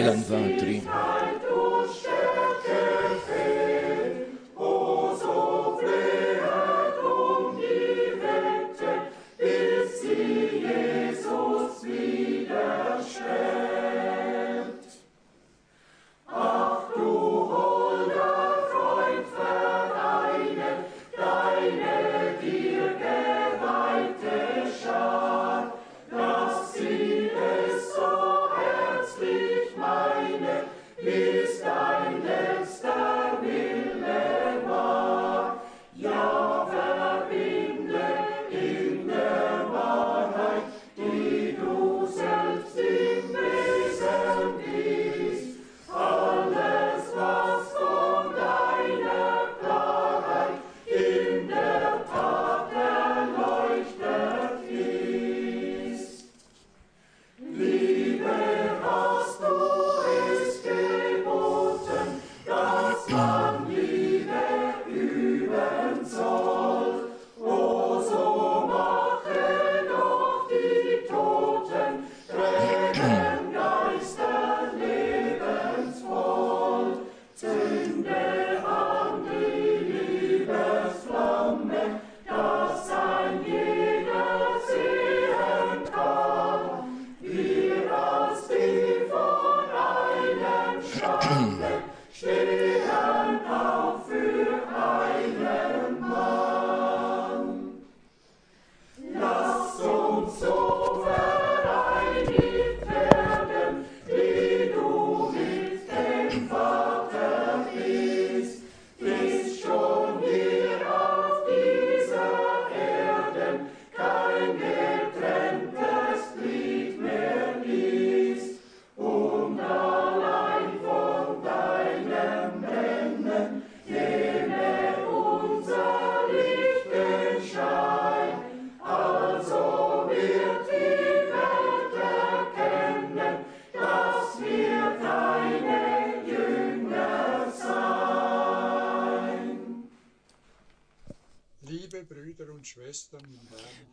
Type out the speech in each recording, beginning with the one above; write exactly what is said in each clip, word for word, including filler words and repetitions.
jedan, dva, tri.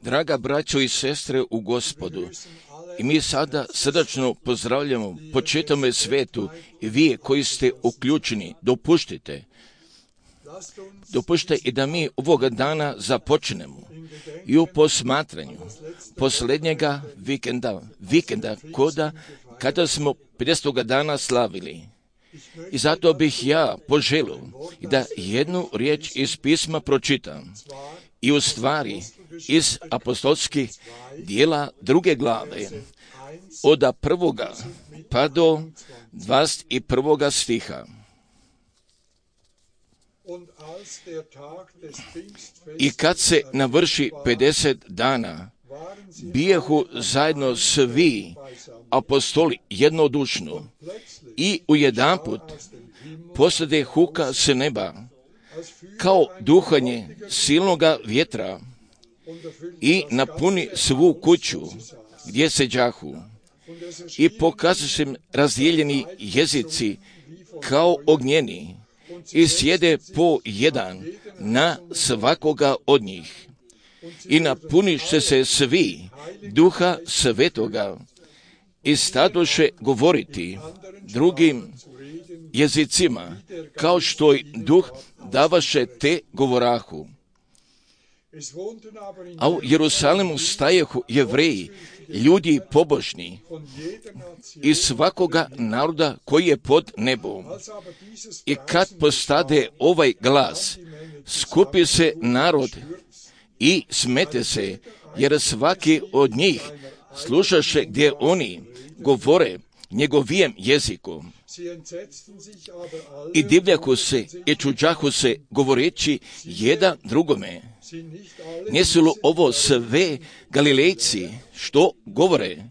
Draga braćo i sestre u Gospodu, i mi sada srdačno pozdravljamo po čitavom svetu i vi koji ste uključeni, dopuštite, dopušte i da mi ovoga dana započnemo i u posmatranju posljednjega vikenda, vikenda koda kada smo pedesetoga dana slavili. I zato bih ja poželio da jednu riječ iz pisma pročitam i u stvari iz apostolskih dijela druge glave od prvoga pa do dvadeset prvoga stiha. I kad se navrši pedeset dana, bijehu zajedno svi apostoli jednodušno i ujedanput posade huka s neba, kao duhanje silnoga vjetra, i napuni svu kuću gdje se đahu. I pokazuje se razdijeljeni jezici kao ognjeni i sjede po jedan na svakoga od njih. I napuniše se svi duha svetoga i stadoše govoriti drugim jezicima, kao što i duh davaše te govorahu. A u Jerusalimu stajehu Jevreji, ljudi pobožni, iz svakoga naroda koji je pod nebom. I kad postade ovaj glas, skupi se narod i smete se, jer svaki od njih slušaše gdje oni govore njegovijem jeziku. I divljaku se i čuđahu se, govoreći jedan drugome: nisu li ovo sve Galilejci što govore?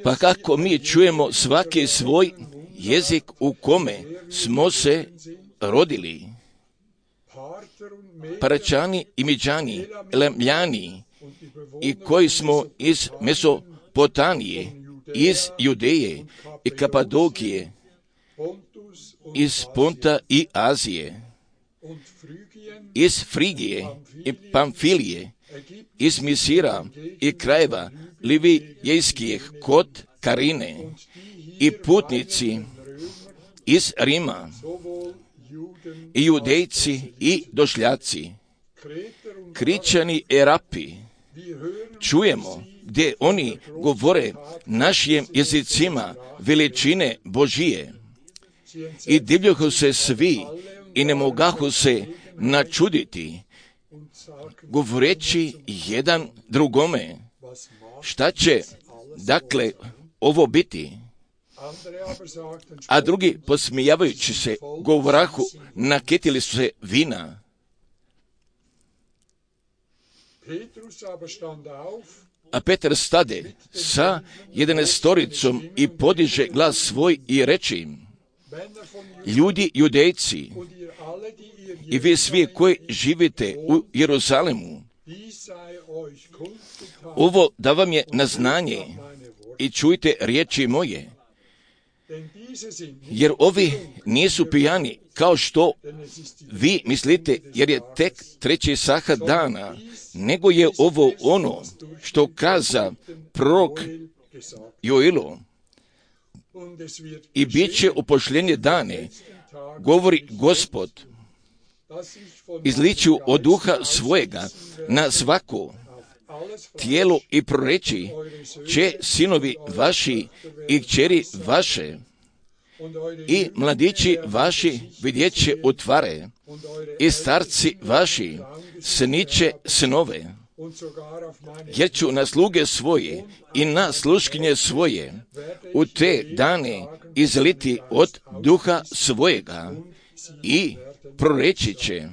Pa kako mi čujemo svaki svoj jezik u kome smo se rodili? Paračani i Midžani, Elamljani, i koji smo iz Mesopotamije, iz Judeje i Kapadokije, iz Ponta i Azije, iz Frigije i Pamfilije, iz Misira i krajeva Livijskih kod Karine, i putnici iz Rima, i judejci i došljaci, Kričani i Arapi, čujemo gdje oni govore našim jezicima veličine Božije. I divljahu se svi i ne mogahu se načuditi, govoreći jedan drugome, šta će dakle ovo biti? A drugi, posmijavajući se, govorahu, nakitili su se vina. A Petar stade sa jedanestoricom i podiže glas svoj i reče im, ljudi judejci i vi svi koji živite u Jeruzalemu, ovo da vam je na znanje i čujte riječi moje, jer ovi nisu pijani kao što vi mislite, jer je tek treći sahar dana, nego je ovo ono što kaza prorok Joilo. I bit će u posljednje dane, govori Gospod, izliću od duha svojega na svako tijelo i proreći će sinovi vaši i kćeri vaše i mladići vaši vidjet će u tvare i starci vaši sniće snove, jer ću na sluge svoje i na sluškinje svoje u te dane izliti od duha svojega i proreći će.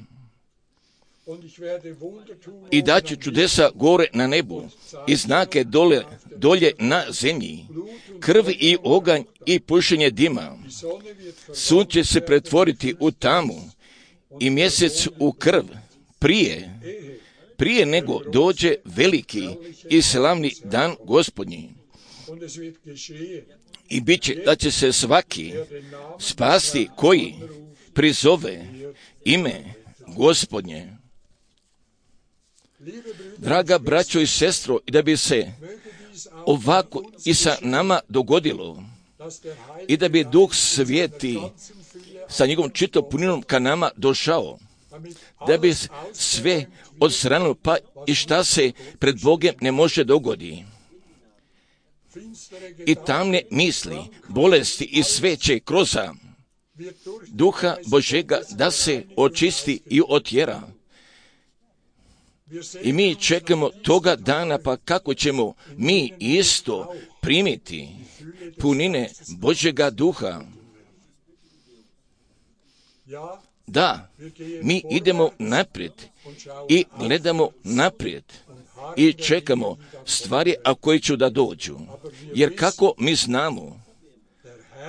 I daću čudesa gore na nebu i znake dole, dolje na zemlji, krv i oganj i pušenje dima. Sunce se pretvoriti u tamu i mjesec u krv prije, prije nego dođe veliki i slavni dan Gospodnji. I bit će da će se svaki spasti koji prizove ime Gospodnje. Draga braćo i sestro, i da bi se ovako i sa nama dogodilo, i da bi Duh Sveti sa njegovom čitom puninom ka nama došao, da bi sve odstranilo, pa i šta se pred Bogom ne može dogodi. I tamne misli, bolesti i sve će kroz Duha Božega da se očisti i otjera. I mi čekamo toga dana, pa kako ćemo mi isto primiti punine Božjega duha. Da, mi idemo naprijed i gledamo naprijed i čekamo stvari, a koje će da dođu. Jer kako mi znamo,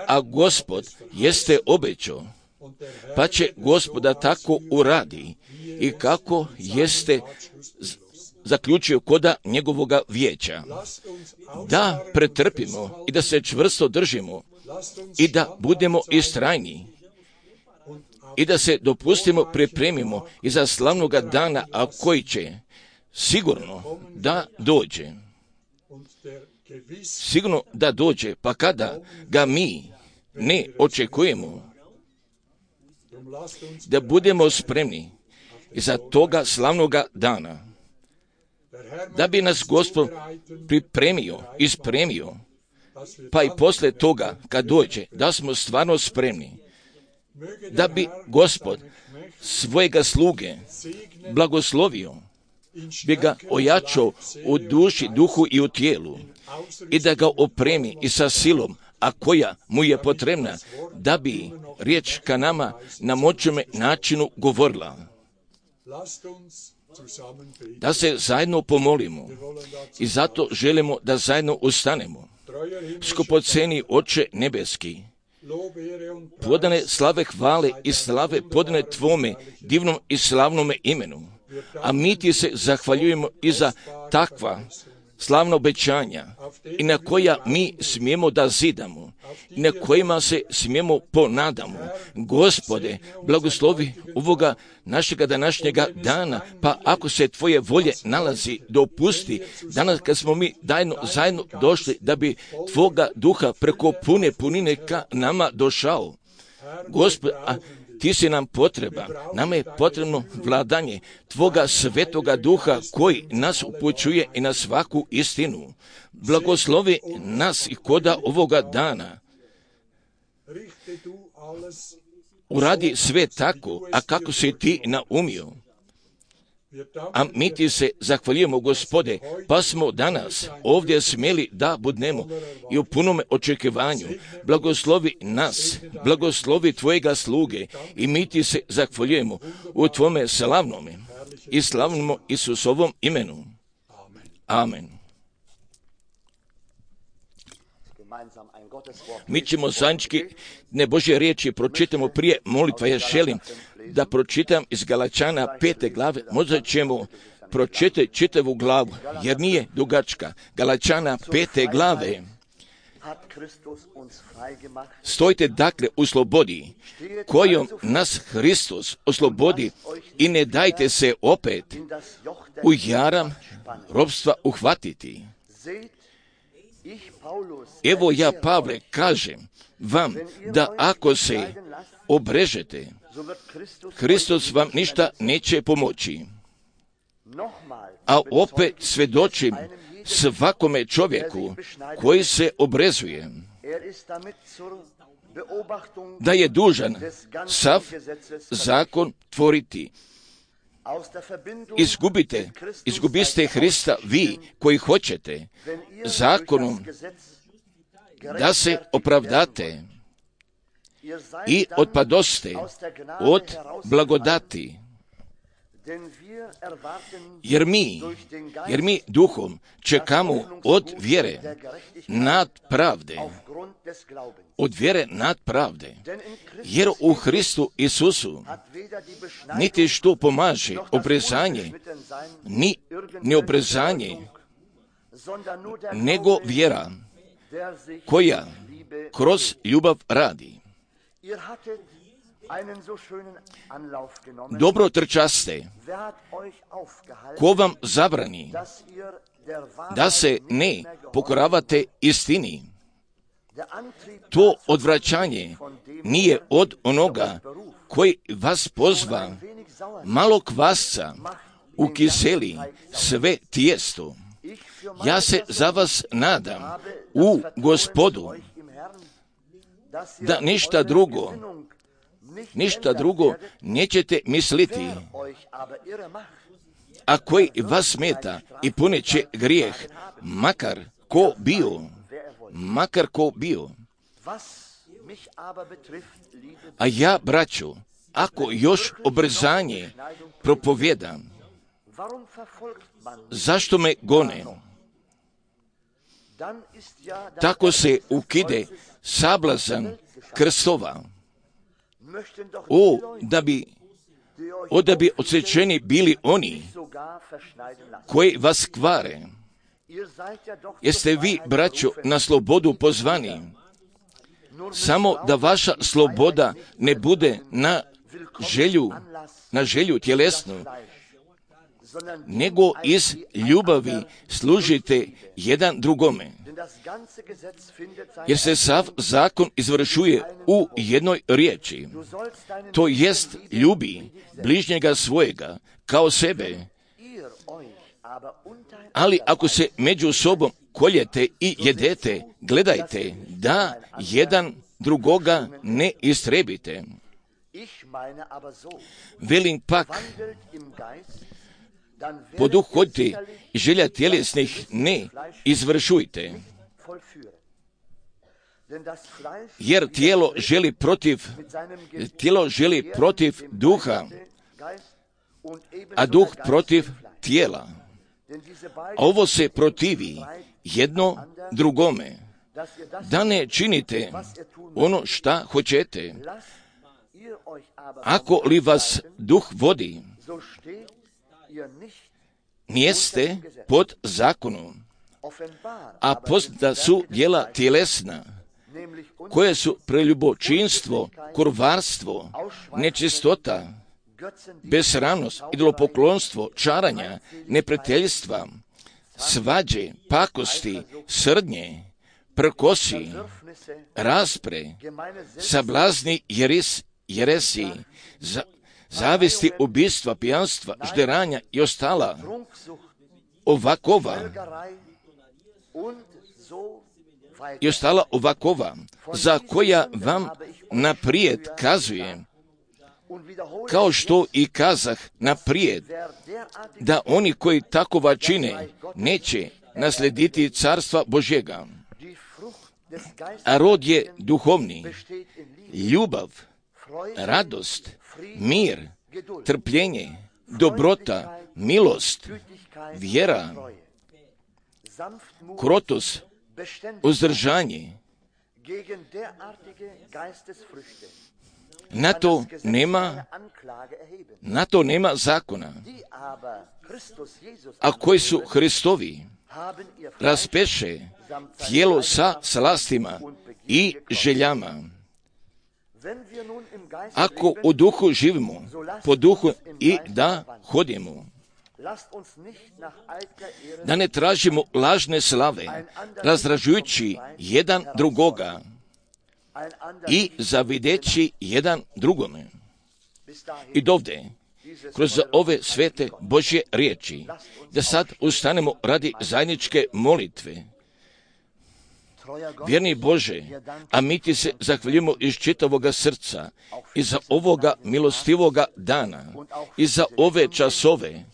a Gospod jeste obećao, pa će Gospoda tako uradi i kako jeste zaključio koda njegovoga vijeća. Da pretrpimo i da se čvrsto držimo i da budemo istrajni i da se dopustimo, pripremimo i za slavnoga dana, a koji će sigurno da dođe. Sigurno da dođe, pa kada ga mi ne očekujemo, da budemo spremni za toga slavnoga dana, da bi nas Gospod pripremio i spremio, pa i posle toga kad dođe, da smo stvarno spremni, da bi Gospod svojega sluge blagoslovio, bi ga ojačao u duši, duhu i u tijelu i da ga opremi i sa silom, a koja mu je potrebna, da bi riječ ka nama na moćnome načinu govorila. Da se zajedno pomolimo i zato želimo da zajedno ustanemo. Skupoceni Oče nebeski, podane slave hvale i slave podane Tvome divnom i slavnome imenu, a mi Ti se zahvaljujemo i za takva slavna obećanja i na koja mi smijemo da zidamo i na kojima se smijemo ponadamo. Gospode, blagoslovi ovoga našega današnjega dana, pa ako se tvoje volje nalazi, dopusti danas kad smo mi zajedno, zajedno došli da bi tvoga duha preko pune punine ka nama došao. Gospode, a ti si nam potreba, nama je potrebno vladanje tvoga svetoga duha koji nas upućuje i na svaku istinu. Blagoslovi nas i koda ovoga dana. Uradi sve tako, a kako si ti naumio. A mi ti se zahvaljujemo, Gospode, pa smo danas ovdje smjeli da budnemo i u punome očekivanju. Blagoslovi nas, blagoslovi tvojega sluge i mi ti se zahvaljujemo u tvome slavnome i slavnom Isusovom imenu. Amen. Mi ćemo zajednički ne Božje riječi pročitamo prije molitva. Ja želim da pročitam iz Galačana pete glave, možda ćemo pročitati čitavu glavu, jer nije dugačka. Galačana pete glave. Stojite dakle u slobodi, kojom nas Hristos oslobodi i ne dajte se opet u jaram robstva uhvatiti. Evo ja, Pavle, kažem vam da ako se obrežete, Hristos vam ništa neće pomoći. A opet svjedočim svakome čovjeku koji se obrezuje da je dužan sav zakon tvoriti. Izgubite, izgubiste Hrista vi koji hoćete zakonom da se opravdate i otpadoste od blagodati. Jer mi, jer mi duhom čekamo od vjere nad pravde, od vjere nad pravde, jer u Hristu Isusu niti što pomaže obrezanje, ni neobrezanje, nego vjera koja kroz ljubav radi. Dobro trčaste, ko vam zabrani da se ne pokoravate istini. To odvraćanje nije od onoga koji vas pozva malo kvasca ukiseli sve tijesto. Ja se za vas nadam u Gospodu da ništa drugo ništa drugo nećete misliti, a koji vas smeta i puneće grijeh, makar ko bio, makar ko bio. A ja, braćo, ako još obrzanje propovjedam, zašto me gone? Tako se ukide sablazan krstova. O, da bi, o, da bi odsečeni bili oni koji vas kvare. Jeste vi, braćo, na slobodu pozvani, samo da vaša sloboda ne bude na želju, na želju tjelesnu, nego iz ljubavi služite jedan drugome. Jer se sav zakon izvršuje u jednoj riječi, to jest ljubi bližnjega svojega kao sebe. Ali ako se među sobom koljete i jedete, gledajte da jedan drugoga ne istrebite. Velim pak, po duhu hodite i želja tjelesnih ne izvršujte. Jer tijelo želi protiv, tijelo želi protiv duha, a duh protiv tijela. A ovo se protivi jedno drugome, da ne činite ono šta hoćete. Ako li vas duh vodi, nijeste pod zakonom. a poznata su djela tjelesna, koje su preljubočinstvo, kurvarstvo, nečistota, besramnost, idolopoklonstvo, čaranja, neprijateljstva, svađe, pakosti, srdnje, prkosi, raspre, sablazni jeres, jeresi, za, zavisti, ubistva, pijanstva, žderanja i ostala ovakova i ostala ovakova, za koja vam naprijed kazujem, kao što i kazah naprijed, da oni koji takova čine neće naslediti carstva Božjega. A rod je duhovni, ljubav, radost, mir, trpljenje, dobrota, milost, vjera, krotost, uzdržanje. Na to nema, na to nema zakona, a koji su Hristovi raspeše tijelo sa slastima i željama. Ako u duhu živimo, po duhu i da hodimo, da ne tražimo lažne slave, razražujući jedan drugoga i zavideći jedan drugome. I dovde, kroz ove svete Božje riječi, da sad ustanemo radi zajedničke molitve. Vjerni Bože, a mi ti se zahvaljujemo iz čitavoga srca i za ovoga milostivoga dana i za ove časove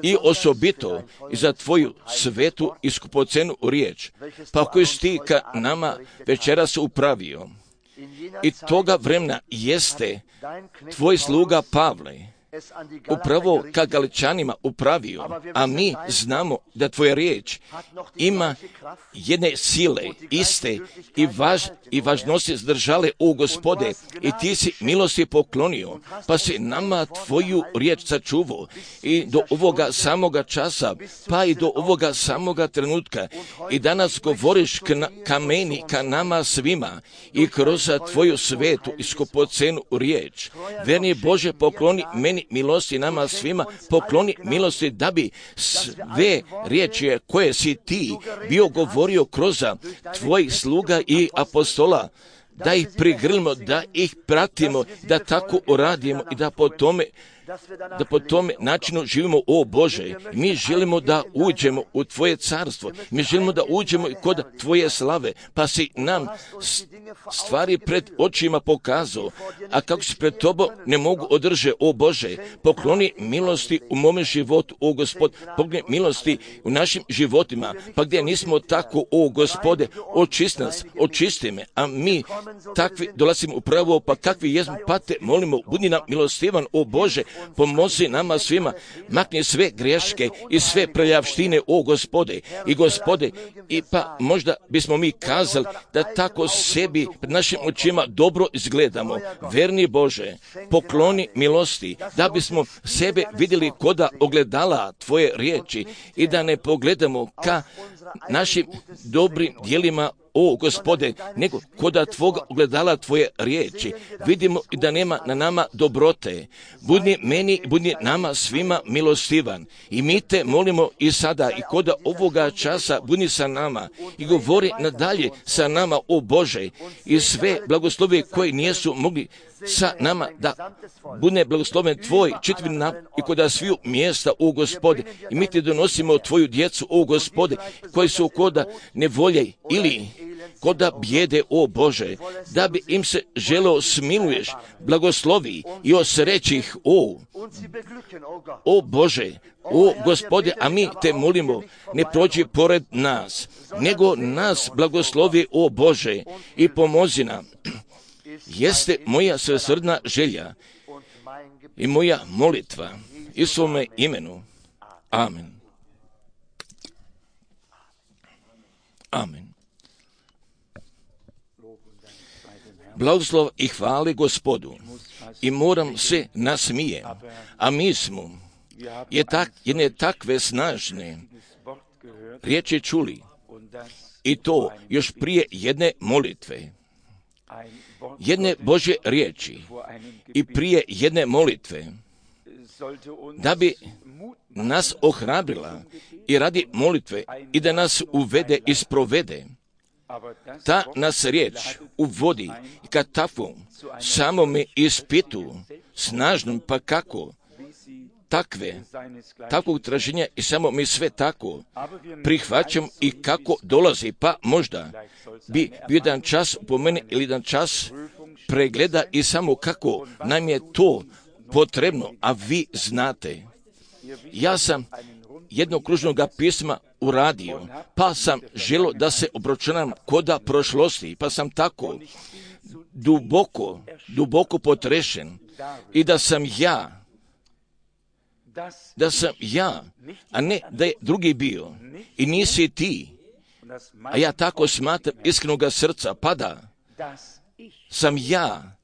i osobito i za tvoju svetu i skupocenu riječ, pa koju si ti ka nama večeras upravio. I toga vremena jeste tvoj sluga Pavle upravo ka Galičanima upravio, a mi znamo da tvoja riječ ima jedne sile, iste i, važ, i važnosti zdržale u Gospode, i ti si milosti poklonio, pa si nama tvoju riječ sačuvao i do ovoga samoga časa, pa i do ovoga samoga trenutka, i danas govoriš k na, ka meni, ka nama svima, i kroz tvoju svetu i skupocenu riječ. Verni Bože, pokloni meni milosti nama svima, pokloni milosti da bi sve riječi koje si ti bio govorio kroz tvojih sluga i apostola, da ih prigrlimo, da ih pratimo, da tako uradimo i da po tome da po tome načinu živimo, o Bože. Mi želimo da uđemo u Tvoje carstvo, mi želimo da uđemo i kod Tvoje slave, pa si nam stvari pred očima pokazao, a kako si pred Tobom ne mogu održe, o Bože. Pokloni milosti u mome životu, o Gospod, pokloni milosti u našim životima, pa gdje nismo tako, o Gospode, očisti nas, očisti me, a mi takvi dolazimo upravo, pa kakvi jesmo, pa te molimo, budi nam milostivan, o Bože, pomozi nama svima, makni sve greške i sve prljavštine, o Gospode, i Gospode, i pa možda bismo mi kazali da tako sebi pred našim očima dobro izgledamo. Verni Bože, pokloni milosti, da bismo sebe vidjeli koda ogledala Tvoje riječi i da ne pogledamo ka našim dobrim djelima, o Gospode, nego koda Tvoga ogledala Tvoje riječi. Vidimo i da nema na nama dobrote. Budi meni, budi nama svima milostivan. I mi te molimo i sada i koda ovoga časa budi sa nama i govori nadalje sa nama, o Bože, i sve blagoslovi koji nisu mogli sa nama, da bude blagosloven Tvoj čitavi nam i koda sviju mjesta, o Gospode, i mi ti donosimo Tvoju djecu, o Gospode, koji su koda nevolje ili koda bijede, o Bože, da bi im se želeo smiluješ, blagoslovi i osreći ih, o, o Bože, o Gospode, a mi te molimo, ne prođi pored nas, nego nas blagoslovi, o Bože, i pomozi nam. Jeste moja svesrdna želja i moja molitva i svome imenu. Amen. Amen. Blagoslov i hvali Gospodu, i moram se nasmijem, a mi smo je tak, jedne takve snažne riječi čuli, i to još prije jedne molitve, jedne Božje riječi i prije jedne molitve, da bi nas ohrabrila i radi molitve i da nas uvede i sprovede. Ta nas riječ uvodi ka takvom samome ispitu, snažnom, pa kako, takve, takvog traženja i samo mi sve tako prihvaćam i kako dolazi, pa možda bi bio jedan čas po meni ili jedan čas pregleda i samo kako nam je to potrebno, a vi znate. Ja sam jednog kružnog pisma uradio, pa sam želio da se obračunam koda prošlosti, pa sam tako duboko, duboko potrešen i da sam ja, da sam ja, a ne da je drugi bio i nisi ti, a ja tako smatram iskrenoga srca, pa da sam ja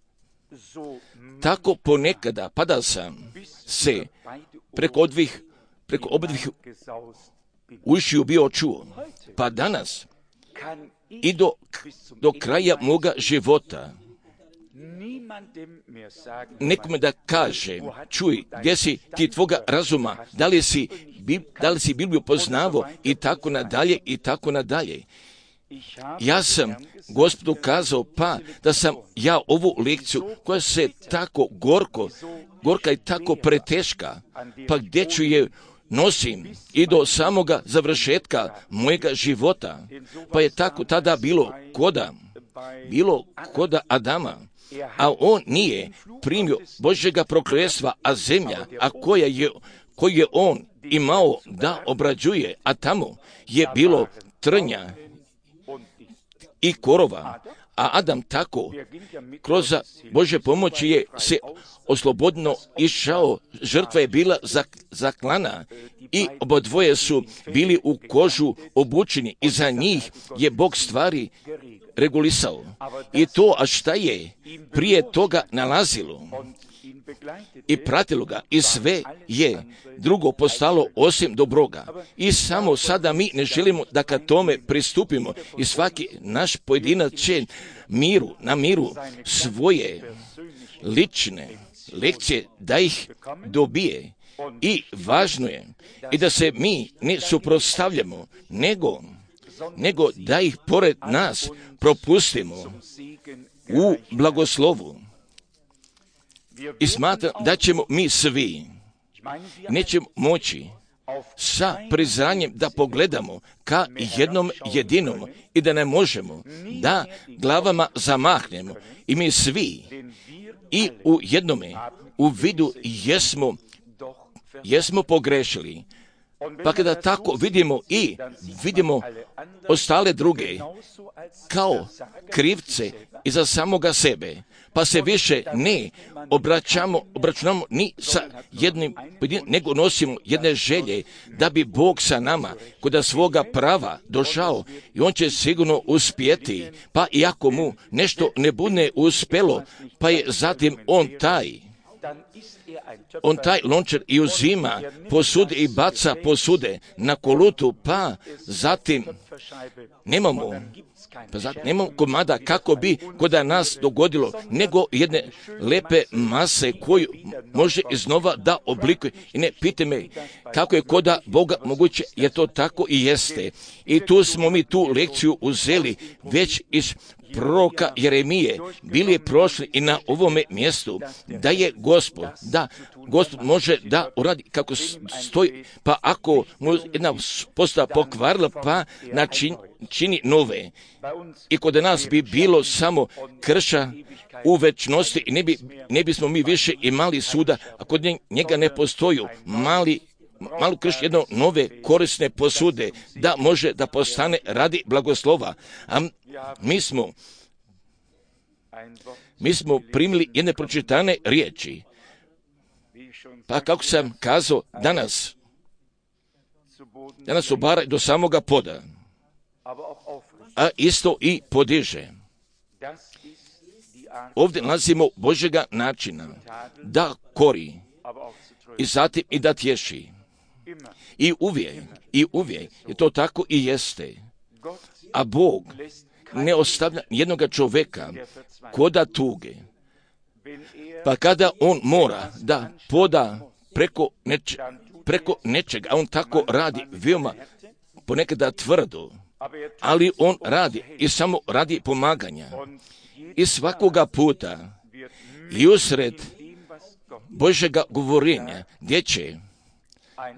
tako ponekada, pa da sam se preko odvih, preko obdvih ušiju bio čuo, pa danas i do, do kraja moga života nekome da kaže, čuj, gdje si ti tvoga razuma, da li si, da li si Bibliju poznavo i tako nadalje i tako nadalje. Ja sam Gospodu kazao, pa da sam ja ovu lekciju koja se tako gorko, gorka i tako preteška, pa gdje ću je nosim i do samoga završetka mojega života, pa je tako tada bilo koda, bilo koda Adama, a on nije primio Božjega prokletstva, a zemlja, a koja je, koju je on imao da obrađuje, a tamo je bilo trnja i korova, a Adam tako kroz Božje pomoći je se oslobodno išao, žrtva je bila zaklana i obodvoje su bili u kožu obučeni i za njih je Bog stvari regulisao. I to, a šta je prije toga nalazilo i pratilo ga i sve je drugo postalo osim dobroga. I samo sada mi ne želimo da ka tome pristupimo i svaki naš pojedinac će miru, na miru svoje lične lekcije da ih dobije. I važno je i da se mi ne suprotstavljamo, nego, nego da ih pored nas propustimo u blagoslovu. I smatram da ćemo mi svi, nećemo moći sa priznanjem da pogledamo ka jednom jedinom i da ne možemo da glavama zamahnemo. I mi svi i u jednome u vidu jesmo, jesmo pogrešili. Pa kada tako vidimo i vidimo ostale druge kao krivce iza samoga sebe, pa se više ne obraćamo, obračunamo ni sa jednim, nego nosimo jedne želje da bi Bog sa nama kod svoga prava došao i on će sigurno uspjeti, pa i ako mu nešto ne bude uspjelo, pa je zatim on taj, on taj lončar i uzima posude i baca posude na kolutu, pa zatim nemamo Pa zato nemamo komada kako bi kod nas dogodilo, nego jedne lepe mase koju može iznova da oblikuje. I ne pite me kako je koda Boga moguće, je to tako i jeste. I tu smo mi tu lekciju uzeli već iz proroka Jeremije, bili je prošli i na ovome mjestu, da je Gospod, da Gospod može da uradi kako stoji, pa ako mu jedna postava pokvarila, pa način, čini nove. I kod nas bi bilo samo krša u večnosti i ne, bi, ne bismo mi više imali suda, a kod njega ne postoji mali malo krš jedno nove korisne posude, da može da postane radi blagoslova. A mi smo, mi smo primili jedne pročitane riječi. Pa kako sam kazao, danas, danas obara do samoga poda, a isto i podiže. Ovdje nalazimo Božjega načina da kori i zatim i da tješi. I uvijek, i uvijek je to tako i jeste. A Bog ne ostavlja jednoga čovjeka koda tuge. Pa kada on mora da poda preko, neč, preko nečega, a on tako radi veoma ponekada tvrdo, ali on radi i samo radi pomaganja. I svakoga puta i usred Božjega govorenja gdje će,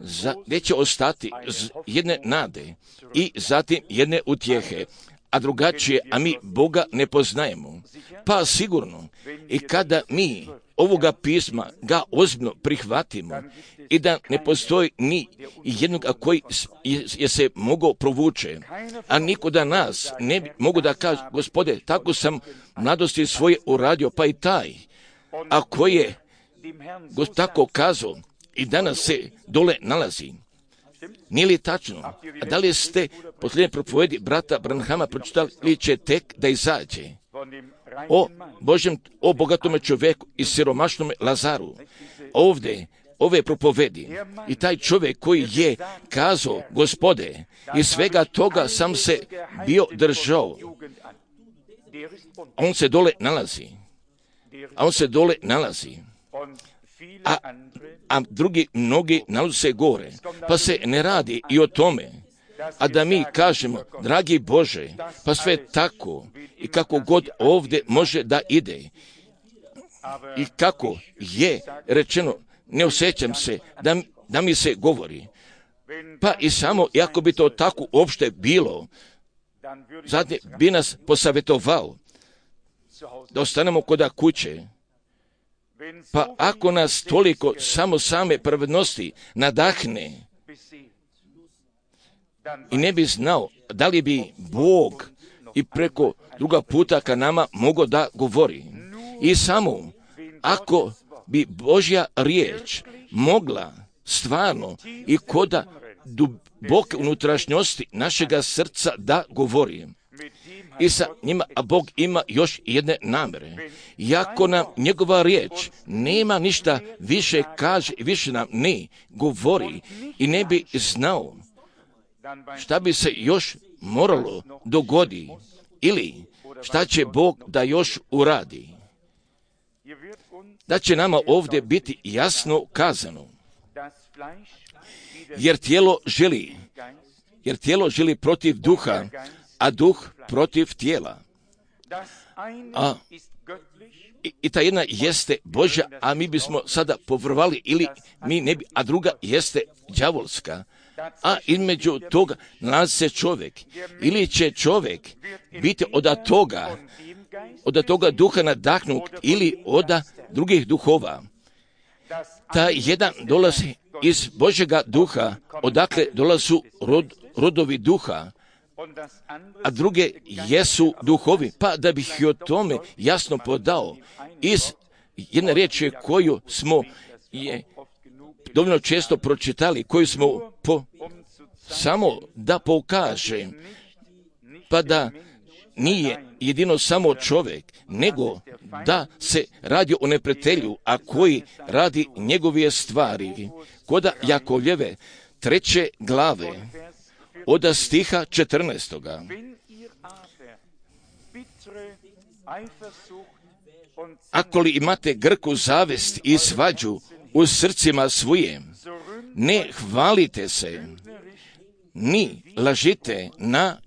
za, gdje će ostati jedne nade i zatim jedne utjehe, a drugačije, a mi Boga ne poznajemo. Pa sigurno, i kada mi ovoga pisma ga ozbiljno prihvatimo i da ne postoji ni jednog koji je, je se mogao provuče, a niko da nas ne bi mogu da kaže, Gospode, tako sam mladosti svoje uradio, pa i taj, a koji je tako kazao i danas se dole nalazi. Nije li tačno? A da li ste posljednje propovedi brata Branhama pročitali ili će tek da izađe? O Božjem, o bogatome čovjeku i siromašnome Lazaru. Ovdje, ove propovedi i taj čovjek koji je kazao, Gospode, iz svega toga sam se bio držao. On se dole nalazi. A on se dole nalazi. A, a drugi mnogi nalaze se gore. Pa se ne radi i o tome. A da mi kažemo, dragi Bože, pa sve tako i kako god ovdje može da ide. I kako je rečeno, ne osjećam se da, da mi se govori. Pa i samo, iako bi to tako uopšte bilo, zadnje bi nas posavjetovao da ostanemo kod kuće. Pa ako nas toliko samo same pravednosti nadahne i ne bi znao da li bi Bog i preko druga puta ka nama mogao da govori. I samo ako bi Božja riječ mogla stvarno i koda duboke unutrašnjosti našega srca da govori. I sa njima, a Bog ima još jedne namere. Iako nam njegova riječ nema ništa više kaže i više nam ne govori i ne bi znao šta bi se još moralo dogodi ili šta će Bog da još uradi. Da će nama ovdje biti jasno kazano. Jer tijelo želi, jer tijelo želi protiv duha, a duh protiv tijela. A, i, i ta jedna jeste Božja, a mi bismo sada povrvali ili mi ne bi, a druga jeste đavolska. A između toga nalazi se čovjek. Ili će čovjek biti od toga, od toga duha nadahnut ili od drugih duhova. Ta jedan dolazi iz Božjega duha, odakle dolazu rod, rodovi duha, a druge jesu duhovi. Pa da bih i o tome jasno podao iz jedne riječi koju smo je dovoljno često pročitali, koju smo po, samo da pokaže, pa da nije jedino samo čovjek, nego da se radi o neprijatelju, a koji radi njegove stvari. Koda Jakovljeve treće glave, od stiha četrnaestoga. Ako li imate grku zavist i svađu u srcima svojim, ne hvalite se, ni lažite na,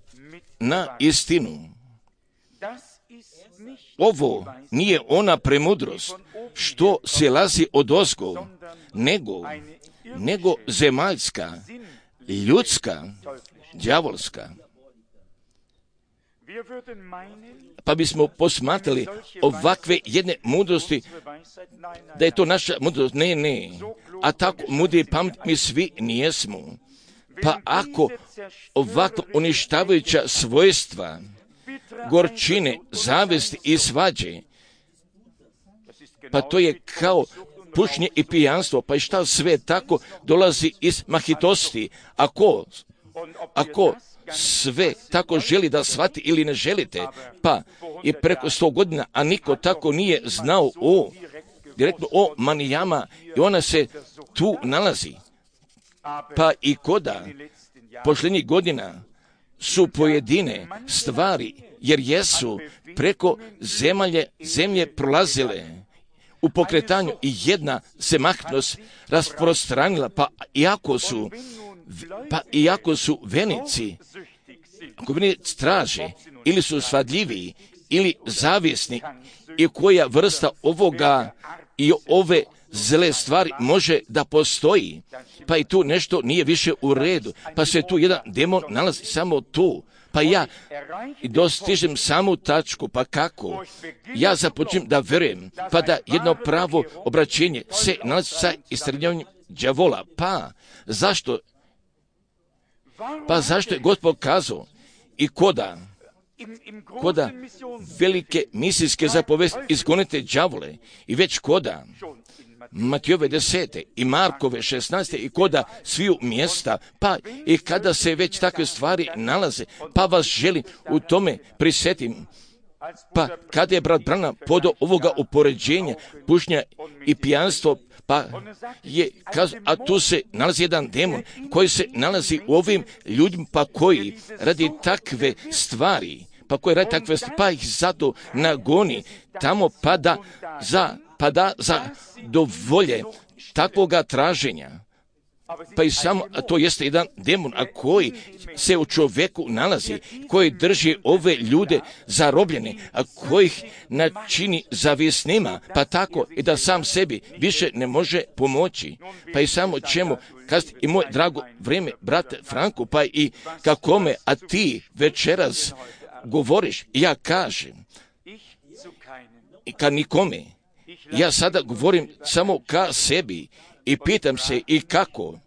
na istinu. Ovo nije ona premudrost što se lazi od ozgo, nego, nego zemaljska, ljudska, đavolska. Pa bismo posmatrali ovakve jedne mudrosti, da je to naša mudrost. Ne, ne. A tako mudri pamet mi svi nijesmo. Pa ako ovakva uništavajuća svojstva, gorčine, zavesti i svađe, pa to je kao pušenje i pijanstvo, pa i šta sve tako dolazi iz mahitosti. Ako, ako sve tako želi da shvati ili ne želite, pa i preko sto godina, a niko tako nije znao o, direktno o manijama i ona se tu nalazi. Pa i koda posljednjih godina su pojedine stvari, jer jesu preko zemalje, zemlje prolazile u pokretanju i jedna se mahnost rasprostranila, pa iako su, pa iako su venici, ako venici traže, ili su svadljiviji, ili zavisni, i koja vrsta ovoga i ove zle stvari može da postoji, pa i tu nešto nije više u redu, pa se tu jedan demon nalazi samo tu, pa ja dostižem samu tačku, pa kako? Ja započnem da verujem, pa da jedno pravo obraćenje se nalazi sa istrebljavanjem đavola, pa zašto? Pa zašto je Gospod kazao i koda, koda velike misijske zapovesti izgonite đavole i već koda Matijove desete i Markove šesnaeste i koda sviju mjesta, pa i kada se već takve stvari nalaze, pa vas želim u tome prisjetim. Pa kada je brat Branham podao ovoga upoređenja, pušnja i pijanstvo, pa je kazao, a tu se nalazi jedan demon koji se nalazi u ovim ljudima, pa koji radi takve stvari, pa koji radi takve stvari, pa ih zato nagoni tamo, pa da za pa da za dovolje takvoga traženja. Pa i samo, a to jeste jedan demon, a koji se u čovjeku nalazi, koji drži ove ljude zarobljene, a kojih načini zavisnima, pa tako i da sam sebi više ne može pomoći. Pa i samo čemu kazati i moj drago vrijeme, brate Franku, pa i kakome, a ti večeras govoriš, ja kažem, i ka nikome. Ja sada govorim samo ka sebi i pitam se i kako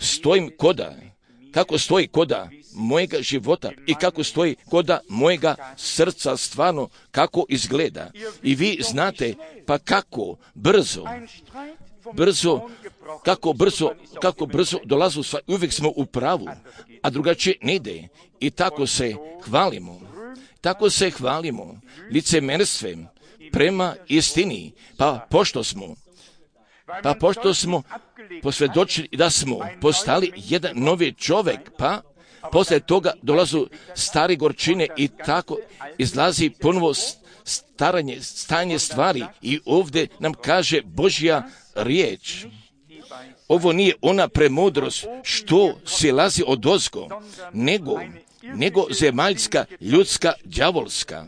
stojim koda, kako stoji koda mojega života i kako stoji koda mojega srca stvarno, kako izgleda. I vi znate pa kako brzo, brzo, kako brzo, kako brzo dolazu, uvijek smo u pravu, a drugačije ne ide. I tako se hvalimo, tako se hvalimo licemerstvem prema istini, pa pošto smo, pa pošto smo posvjedočili da smo postali jedan novi čovjek, pa poslije toga dolazu stari gorčine i tako izlazi ponovo staranje, stanje stvari i ovdje nam kaže Božja riječ. Ovo nije ona premudrost što silazi odozgo, nego, nego zemaljska, ljudska, đavolska.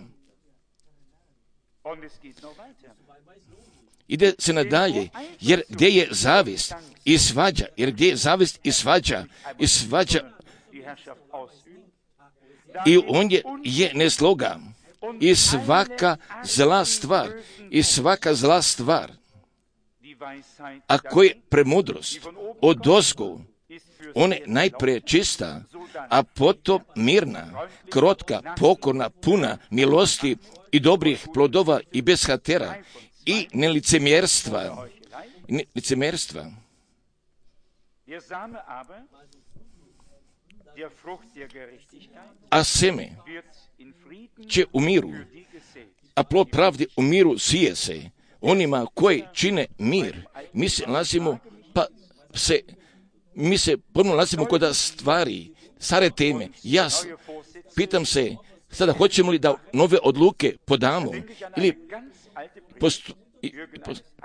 Ide se nadalje, jer gdje je zavist i svađa, jer gdje je zavist i svađa, i svađa, i on je, je nesloga, i svaka zla stvar, i svaka zla stvar, a koja je premudrost odozgo, ona je najprije čista, a potom mirna, krotka, pokorna, puna milosti i dobrih plodova i bez hatera i nelicemjerstva. Ne, licemjerstva. A seme će u miru, a plod pravde u miru sije se onima koji čine mir. Mi se nalazimo, pa se, mi se ponovno nalazimo kod stvari, stare teme. Ja pitam se, sada hoćemo li da nove odluke podamo ili postu,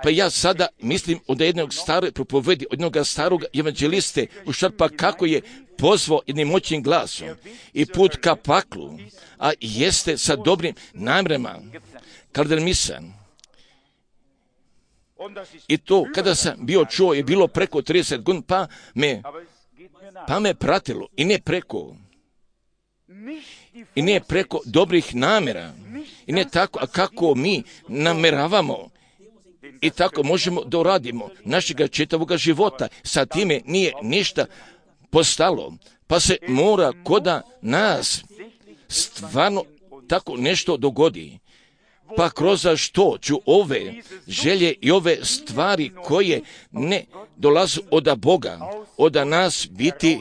pa ja sada mislim od jednog stare propovedi, od jednog starog evanđeliste u šarpa kako je pozvao jednim moćnim glasom i put ka paklu, a jeste sa dobrim namjerama, kaldermisan. I to kada sam bio čuo je bilo preko trideset godina, pa me, pa me pratilo i ne preko i ne preko dobrih namjera i ne tako, a kako mi nameravamo i tako možemo da uradimo našega čitavoga života. Sa time nije ništa postalo, pa se mora koda nas stvarno tako nešto dogodi. Pa kroz što ću ove želje i ove stvari koje ne dolazu od Boga, od nas biti,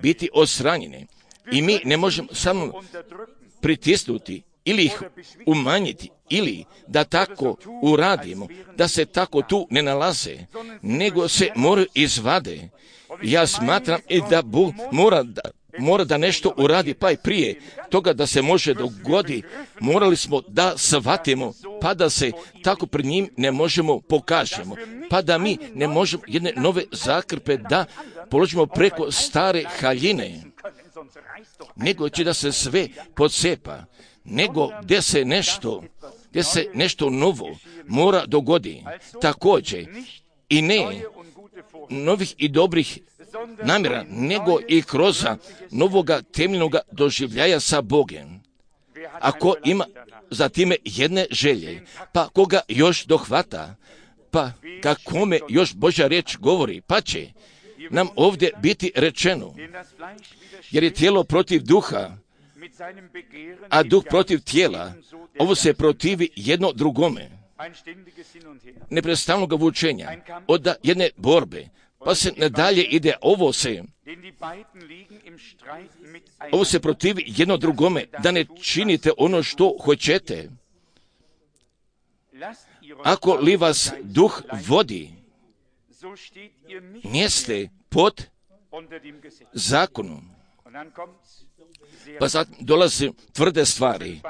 biti osranjene. I mi ne možemo samo pritisnuti ili ih umanjiti ili da tako uradimo, da se tako tu ne nalaze, nego se moraju izvade Ja smatram i da Bog mora da, mora da nešto uradi, pa i prije toga da se može dogodi, morali smo da shvatimo, pa da se tako pred njim ne možemo pokažemo, pa da mi ne možemo jedne nove zakrpe da položimo preko stare haljine, nego će da se sve podsepa, nego gdje se nešto, gdje se nešto novo mora dogodi. Također i ne novih i dobrih namjera, nego i kroz novoga temeljnoga doživljaja sa Bogom. Ako ima za time jedne želje, pa koga još dohvata, pa kakome još Božja riječ govori, pa će nam ovdje biti rečeno, jer je tijelo protiv duha, a duh protiv tijela, ovo se protivi jedno drugome. Neprestavnog vučenja, od jedne borbe, pa se nadalje ide, ovo se, ovo se protivi jedno drugome, da ne činite ono što hoćete. Ako li vas duh vodi, niste pod zakonom. Pa sad dolaze tvrde stvari,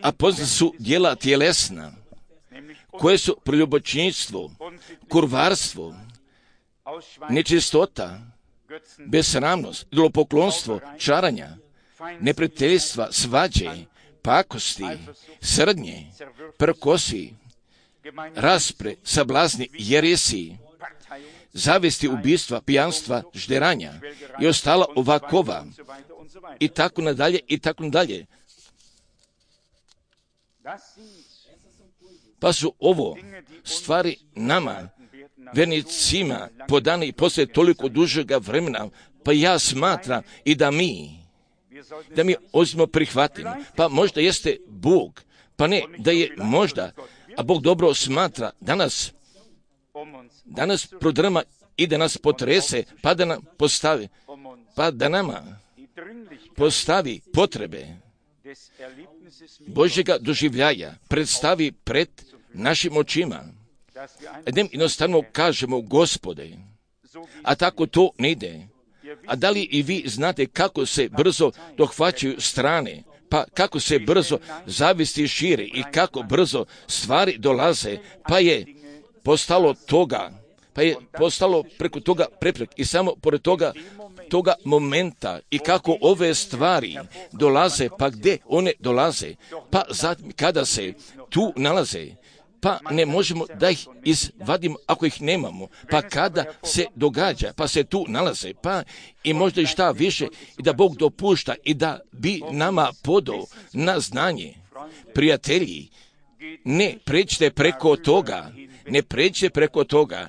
a poznate su djela tjelesna, koje su preljubočništvo, kurvarstvo, nečistota, besramnost, idolopoklonstvo, čaranja, neprijateljstva, svađe, pakosti, srdnje, prkosi, raspre, sablazni, jeresi, zavesti, ubistva, pijanstva, žderanja i ostala ovakova, i tako nadalje, i tako nadalje. Pa su ovo stvari nama, vernicima, podane i poslije toliko dužega vremena, pa ja smatram i da mi, da mi ozbiljno prihvatimo. Pa možda jeste Bog, pa ne, da je možda, a Bog dobro smatra danas, danas prodrma i da nas potrese, pa da nam postavi, pa da nama postavi potrebe Božjega doživljaja, predstavi pred našim očima. Da im jednostavno kažemo, Gospode, a tako to ne ide. A da li i vi znate kako se brzo dohvaćaju strane, pa kako se brzo zavisti šire i kako brzo stvari dolaze, pa je postalo toga, pa je postalo preko toga preprek i samo pored toga toga momenta i kako ove stvari dolaze, pa gdje one dolaze, pa zatim kada se tu nalaze, pa ne možemo da ih izvadimo ako ih nemamo, pa kada se događa, pa se tu nalaze, pa i možda i šta više, i da Bog dopušta i da bi nama podao na znanje. Prijatelji, ne pređite preko toga, ne pređite preko toga,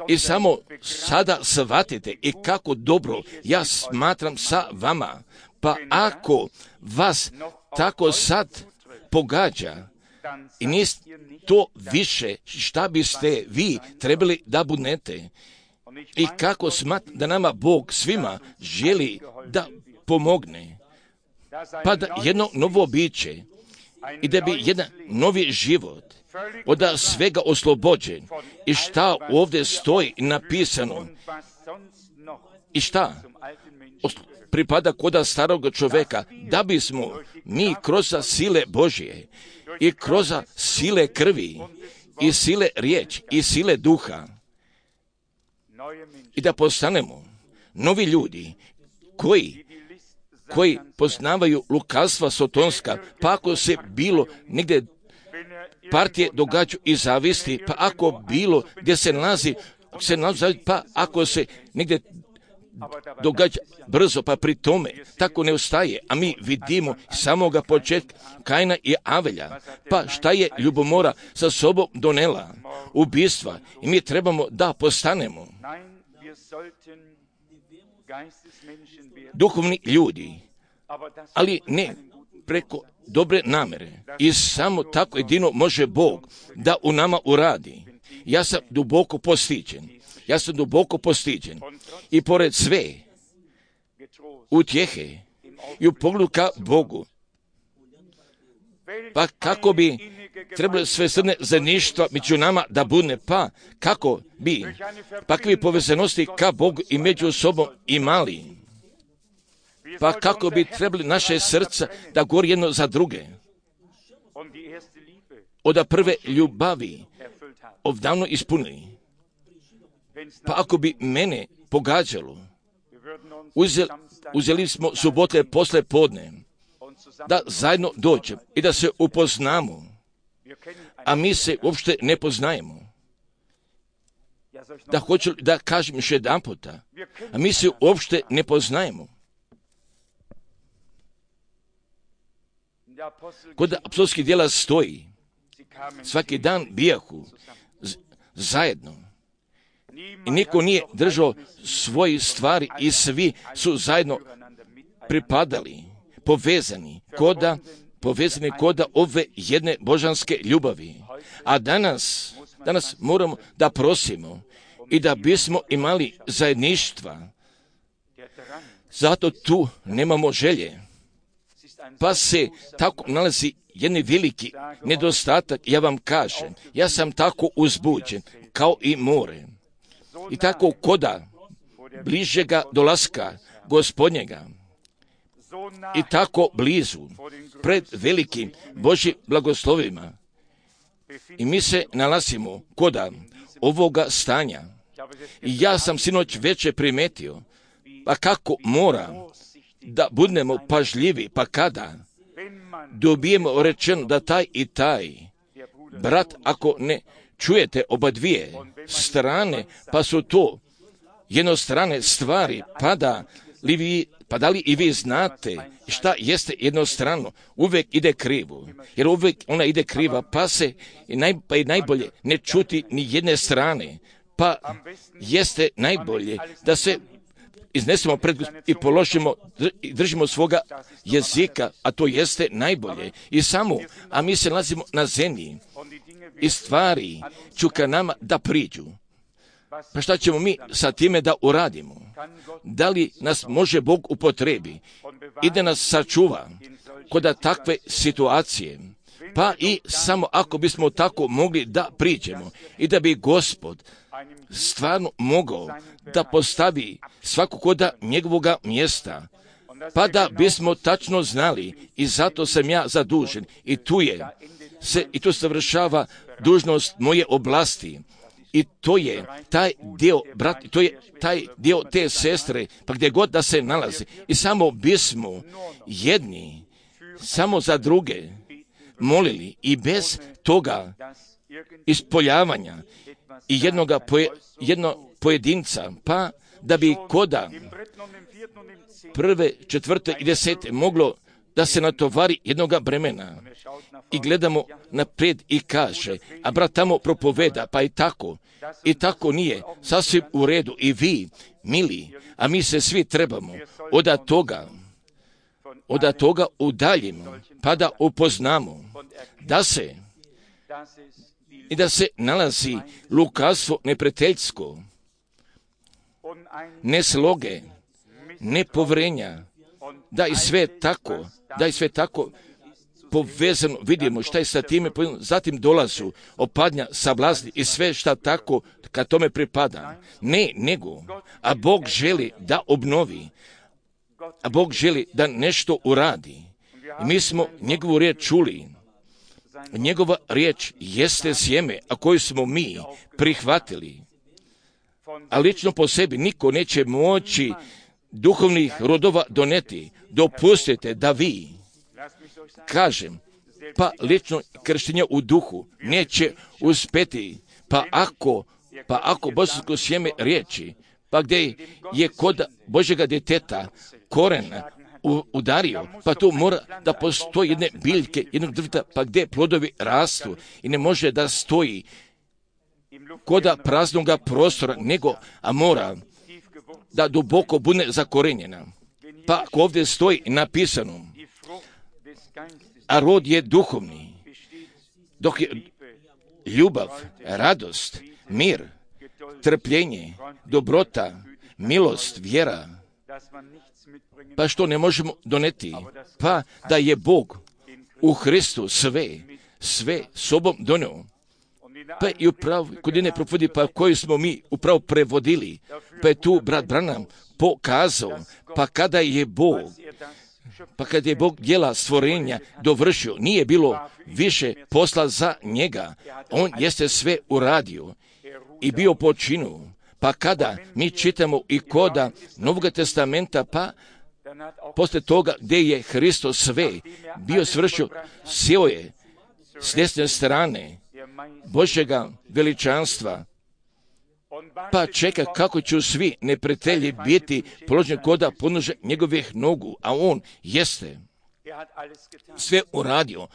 i samo sada shvatite i kako dobro ja smatram sa vama, pa ako vas tako sad pogađa i niste to više šta biste vi trebali da budete i kako smatram da nama Bog svima želi da pomogne, pa da jedno novo biće i da bi jedan novi život od svega oslobođen i šta ovdje stoji napisano i šta pripada koda starog čovjeka, da bismo mi kroz sile Božje i kroz sile krvi i sile riječ i sile duha i da postanemo novi ljudi koji koji poznavaju lukavstva sotonska, pa ako se bilo negdje partije događaju i zavisti, pa ako bilo gdje se nalazi, se nalazi, pa ako se negdje događa brzo, pa pri tome tako ne ostaje, a mi vidimo samoga početka Kaina i Avelja, pa šta je ljubomora sa sobom donela, ubistva, i mi trebamo da postanemo duhovni ljudi, ali ne preko dobre namere. I samo tako jedino može Bog da u nama uradi. Ja sam duboko postiđen. Ja sam duboko postiđen. I pored sve utjehe i u pogledu ka Bogu, pa kako bi trebalo sve srne zajedništva među nama da bude, pa kako bi, pakve povezanosti ka Bogu i među sobom imali, pa kako bi trebali naše srca da gori jedno za druge, od prve ljubavi odavno ispunili. Pa ako bi mene pogađalo, uzeli, uzeli smo subote posle podne, da zajedno dođemo i da se upoznamo, a mi se uopšte ne poznajemo. Da hoću da kažem još jedan puta, a mi se uopšte ne poznajemo. Kod apostolskih djela stoji, svaki dan bijahu zajedno i niko nije držao svoje stvari i svi su zajedno pripadali, povezani koda, povezani koda ove jedne božanske ljubavi. A danas, danas moramo da prosimo i da bismo imali zajedništva. Zato tu nemamo želje. Pa se tako nalazi jedan veliki nedostatak, ja vam kažem, ja sam tako uzbuđen, kao i more. I tako koda bližega dolaska Gospodnjega, i tako blizu, pred velikim Božjim blagoslovima. I mi se nalazimo koda ovoga stanja. I ja sam sinoć veće primetio, pa kako mora da budemo pažljivi, pa kada dobijemo rečeno da taj i taj brat, ako ne čujete oba dvije strane, pa su to jednostrane stvari, pa da li vi, pa da li i vi znate šta jeste jednostrano, uvijek ide krivo, jer uvijek ona ide kriva, pa se i naj, pa i najbolje ne čuti ni jedne strane, pa jeste najbolje da se iznesemo pred i položimo i držimo svoga jezika, a to jeste najbolje. I samo, a mi se nalazimo na zemlji i stvari ću ka nama da priđu. Pa šta ćemo mi sa time da uradimo? Da li nas može Bog upotrebi i da nas sačuva kod takve situacije? Pa i samo ako bismo tako mogli da priđemo i da bi Gospod stvarno mogao da postavi svako koda njegovoga mjesta, pa da bismo tačno znali, i zato sam ja zadužen, i tu je se, i tu savršava dužnost moje oblasti, i to je taj dio, brat, to je taj dio te sestre, pa gdje god da se nalazi, i samo bismo jedni, samo za druge molili, i bez toga ispoljavanja i jednoga poje, jedno pojedinca, pa da bi koda prve, četvrte i desete moglo da se natovari jednoga bremena. I gledamo naprijed i kaže, a brat tamo propoveda, pa i tako, i tako nije sasvim u redu. I vi, mili, a mi se svi trebamo od toga, od toga udaljimo, pa da upoznamo da se i da se nalazi lukavstvo neprijateljsko, nesloge, nepovrenja, da i sve tako, da i sve tako povezano vidimo šta je sa time, zatim dolazu opadnja sablazni i sve šta tako kad tome pripada. Ne, nego, a Bog želi da obnovi, a Bog želi da nešto uradi. I mi smo njegovu riječ čuli. Njegova riječ jeste sjeme, a koju smo mi prihvatili. A lično po sebi niko neće moći duhovnih rodova doneti. Dopustite da vi, kažem, pa lično krštenje u duhu neće uspjeti, pa ako, pa ako božansko sjeme riječi, pa gdje je kod Božjega djeteta koren udario, pa tu mora da postoji jedne biljke, jednog drveta, pa gdje plodovi rastu i ne može da stoji koda praznoga prostora, nego, a mora da duboko bude zakorenjena. Pa ako ovdje stoji napisano, a rod je duhovni, dok je ljubav, radost, mir, trpljenje, dobrota, milost, vjera, pa što ne možemo doneti? Pa da je Bog u Hristu sve, sve sobom donio. Pa i upravo, kod jedne profodi, pa koju smo mi upravo prevodili, pa je tu brat Branham pokazao, pa kada je Bog, pa kada je Bog djela stvorenja dovršio, nije bilo više posla za njega. On jeste sve uradio i bio počinu. Pa kada mi čitamo i koda Novog testamenta, pa posle toga gdje je Hristos sve bio svršio, sjeo je s desne strane Božjega veličanstva, pa čeka kako će svi neprijatelji biti položeni koda podnože njegovih nogu, a on jeste sve uradio.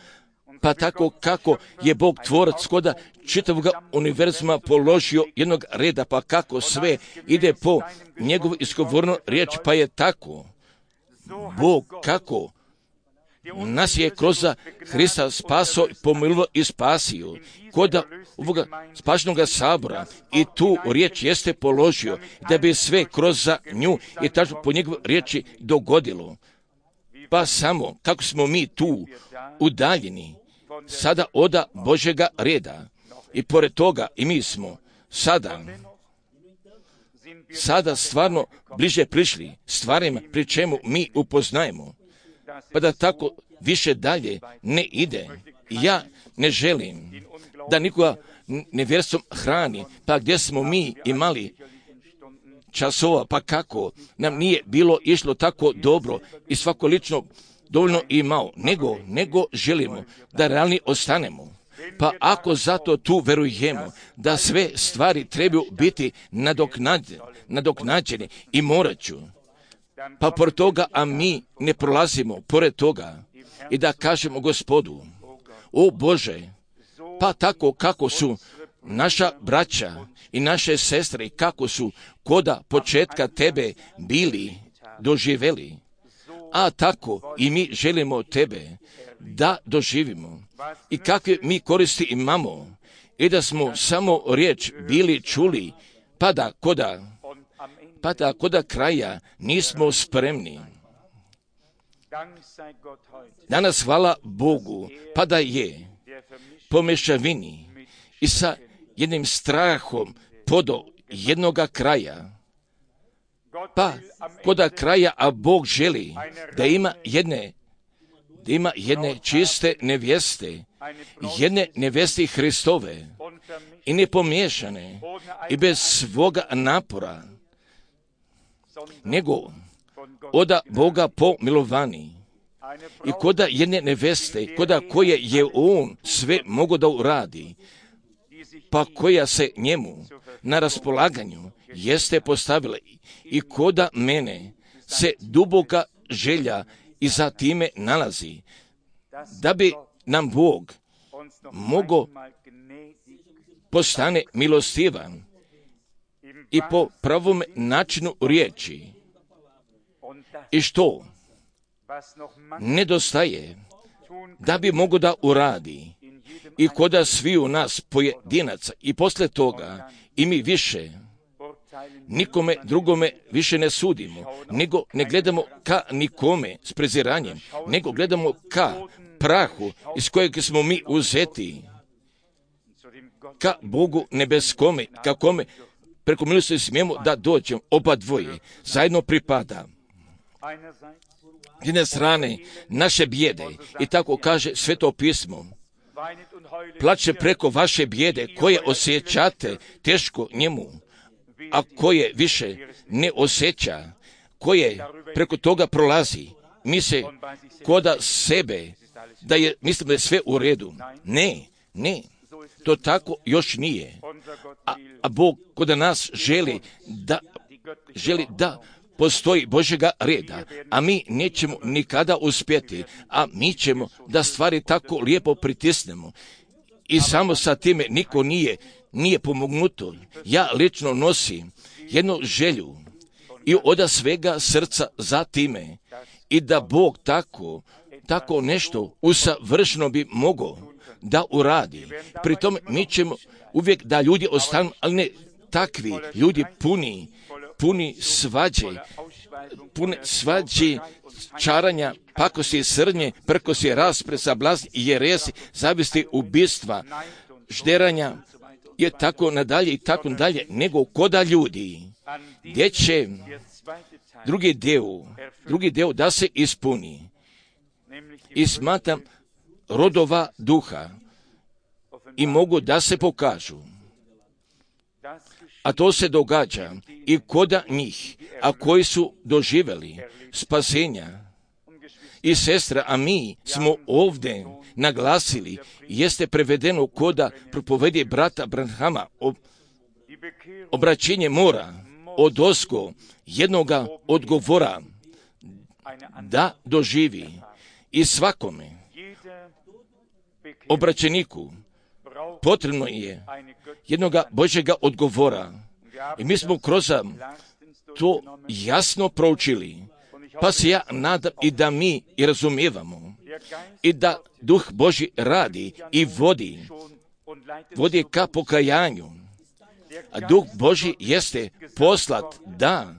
Pa tako kako je Bog tvorac koda čitavog univerzuma položio jednog reda, pa kako sve ide po njegovu izgovornu riječ, pa je tako Bog kako nas je kroz Hrista spaso, pomilio i spasio. Koda ovoga spašenoga sabora i tu riječ jeste položio da bi sve kroz nju i tačno po njegovoj riječi dogodilo. Pa samo kako smo mi tu udaljeni sada od Božjega reda i pored toga i mi smo sada sada stvarno bliže prišli stvarima pri čemu mi upoznajemo, pa da tako više dalje ne ide. Ja ne želim da nikoga nevjerstvom hrani, pa gdje smo mi imali časova, pa kako nam nije bilo išlo tako dobro i svako lično dovoljno imao, nego, nego želimo da realni ostanemo. Pa ako zato tu verujemo da sve stvari trebaju biti nadoknađene, nadoknađene i morat ću, pa pored toga, a mi ne prolazimo pored toga i da kažemo Gospodu, o Bože, pa tako kako su naša braća i naše sestre, kako su koda početka Tebe bili doživeli, a tako i mi želimo Tebe da doživimo i kakve mi koristi imamo i da smo samo riječ bili čuli, pa da koda, pa da koda kraja nismo spremni. Danas hvala Bogu, pa da je po mešavini i sa jednim strahom podo jednoga kraja, pa koda kraja, a Bog želi da ima jedne, da ima jedne čiste nevjeste, jedne nevjeste Hristove i nepomiješane i bez svoga napora, nego oda Boga pomilovani i koda jedne neveste, koda koje je On sve mogo da uradi, pa koja se njemu na raspolaganju jeste postavila i koda mene se duboka želja i za time nalazi, da bi nam Bog mogo postane milostivan i po pravom načinu riječi. I što nedostaje da bi mogo da uradi i koda svi u nas pojedinaca i posle toga i mi više nikome drugome više ne sudimo, nego ne gledamo ka nikome s preziranjem, nego gledamo ka prahu iz kojeg smo mi uzeti, ka Bogu nebeskome, ka kome preko milosti smijemo da dođemo, oba dvoje zajedno pripada. S jedne strane naše bijede, i tako kaže Sveto pismo, plače preko vaše bijede koje osjećate teško njemu, a koje više ne osjeća, koje preko toga prolazi, misle koda sebe, da je, mislim da je sve u redu. Ne, ne, to tako još nije. A, a Bog koda nas želi da, želi da postoji Božjega reda, a mi nećemo nikada uspjeti, a mi ćemo da stvari tako lijepo pritisnemo. I samo sa time niko nije, nije pomognuto. Ja lično nosim jednu želju i od svega srca za time i da Bog tako, tako nešto usavršeno bi mogao da uradi. Pri tome mi ćemo uvijek da ljudi ostanu, ali ne takvi ljudi puni, puni svađe, puni svađe čaranja, pakosti, srnje, prkosi, raspre, sablazni, jeresi, zavisti, ubistva, žderanja, je tako nadalje i tako nadalje, nego koda ljudi, gdje će drugi dio, drugi dio da se ispuni. I smatram rodova duha i mogu da se pokažu. A to se događa i koda njih, a koji su doživjeli spasenja. I sestra, a mi smo ovdje naglasili, jeste prevedeno koda propovedi brata Branhama, obraćenje mora od osko jednoga odgovora da doživi. I svakome obraćeniku potrebno je jednoga Božjega odgovora. I mi smo kroz to jasno proučili, pa se ja nadam i da mi i razumijevamo i da Duh Božji radi i vodi, vodi ka pokajanju. A Duh Božji jeste poslat da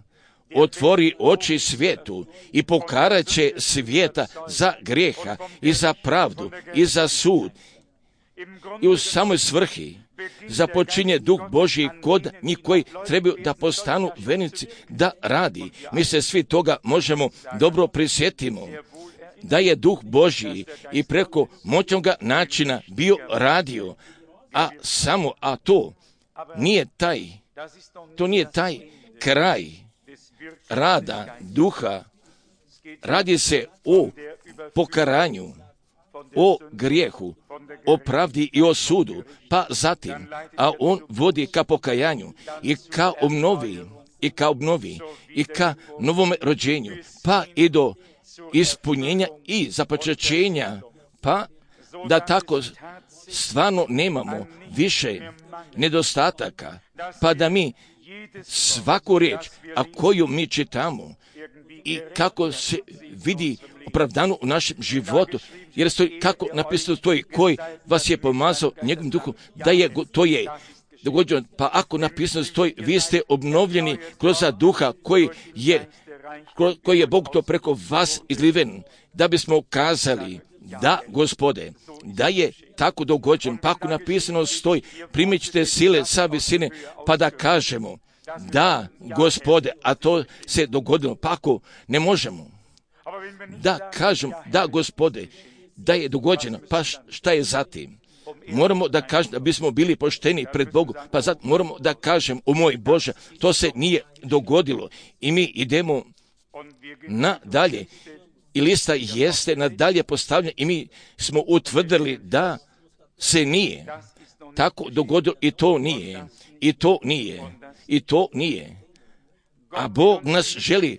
otvori oči svijetu i pokarat će svijeta za grijeha i za pravdu i za sud. I u samoj svrhi započinje Duh Božji kod njih koji trebaju da postanu vernici da radi. Mi se svi toga možemo dobro prisjetimo, da je Duh Božji i preko moćnoga načina bio radio, a samo, a to nije taj, to nije taj kraj rada Duha. Radi se o pokaranju, o grijehu, o pravdi i o sudu, pa zatim, a on vodi ka pokajanju i ka obnovi, i ka obnovi, i ka novom rođenju, pa i do ispunjenja i započećenja, pa da tako stvarno nemamo više nedostataka, pa da mi svaku riječ, a koju mi čitamo i kako se vidi opravdano u našem životu, jer stoji, kako napisano stoji, koji vas je pomazao njegovim duhom, da je, to je dogođeno, pa ako napisano stoji, vi ste obnovljeni kroz duha koji je, koji je Bog to preko vas izliven, da bismo kazali, da, Gospode, da je tako dogođen, pa ako napisano stoji, primit ćete sile sa visine, pa da kažemo, da, Gospode, a to se dogodilo, pa ako ne možemo, da kažem, da, Gospode, da je dogođeno, pa šta je zatim? Moramo da kažem, da bismo bili pošteni pred Bogom, pa zato moramo da kažem, o moj Bože, to se nije dogodilo i mi idemo nadalje. I lista jeste nadalje postavljena i mi smo utvrdili da se nije tako dogodilo i to nije, i to nije, i to nije. A Bog nas želi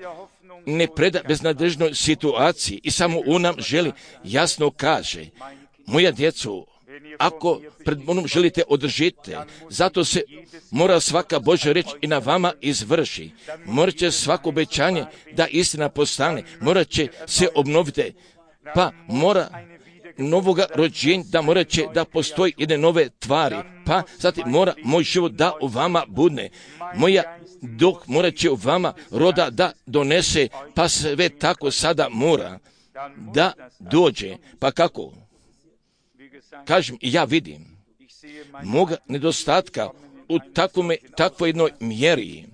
ne preda beznadežnoj situaciji i samo on nam želi jasno kaže, moja djeco, ako pred onom želite održite, zato se mora svaka Božja reč i na vama izvrši. Morat će svako obećanje da istina postane, morat će se obnoviti, pa mora novoga rođenja, da morat će da postoji jedne nove tvari, pa zatim mora moj život da u vama budne, moja duh morat će u vama roda da donese, pa sve tako sada mora da dođe, pa kako? Kažem, ja vidim moga nedostatka u takvome, takvoj jednoj mjeri,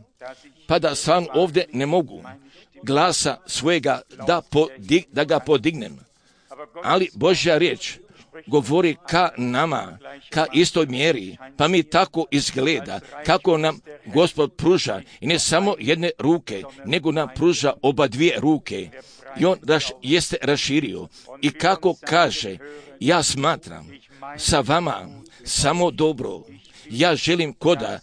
pa da sam ovdje ne mogu glasa svojega da, podig, da ga podignem. Ali Božja riječ govori ka nama, ka istoj mjeri, pa mi tako izgleda, kako nam Gospod pruža, i ne samo jedne ruke, nego nam pruža oba dvije ruke. I on raš, jeste raširio. I kako kaže, ja smatram sa vama samo dobro. Ja želim koda,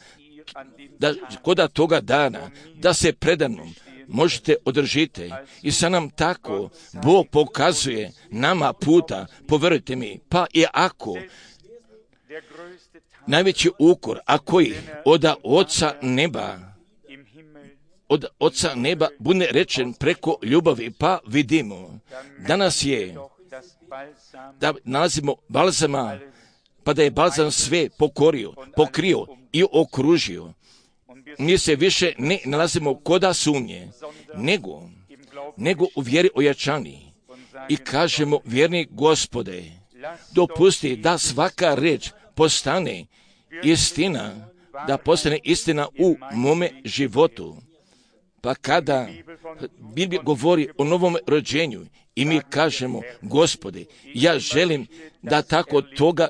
da, koda toga dana, da se predano možete održite. I sa nam tako Bog pokazuje nama puta, povjerujte mi, pa i ako najveći ukor, a koji od Oca neba, od Oca neba bude rečen preko ljubavi, pa vidimo, danas je da nalazimo balzama, pa da je balzam sve pokorio, pokrio i okružio. Mi se više ne nalazimo koda sumnje, nego nego u vjeri ojačani. I kažemo, vjerni Gospode, dopusti da svaka riječ postane istina, da postane istina u mome životu. Pa kada Biblija govori o novom rođenju i mi kažemo, Gospode, ja želim da tako toga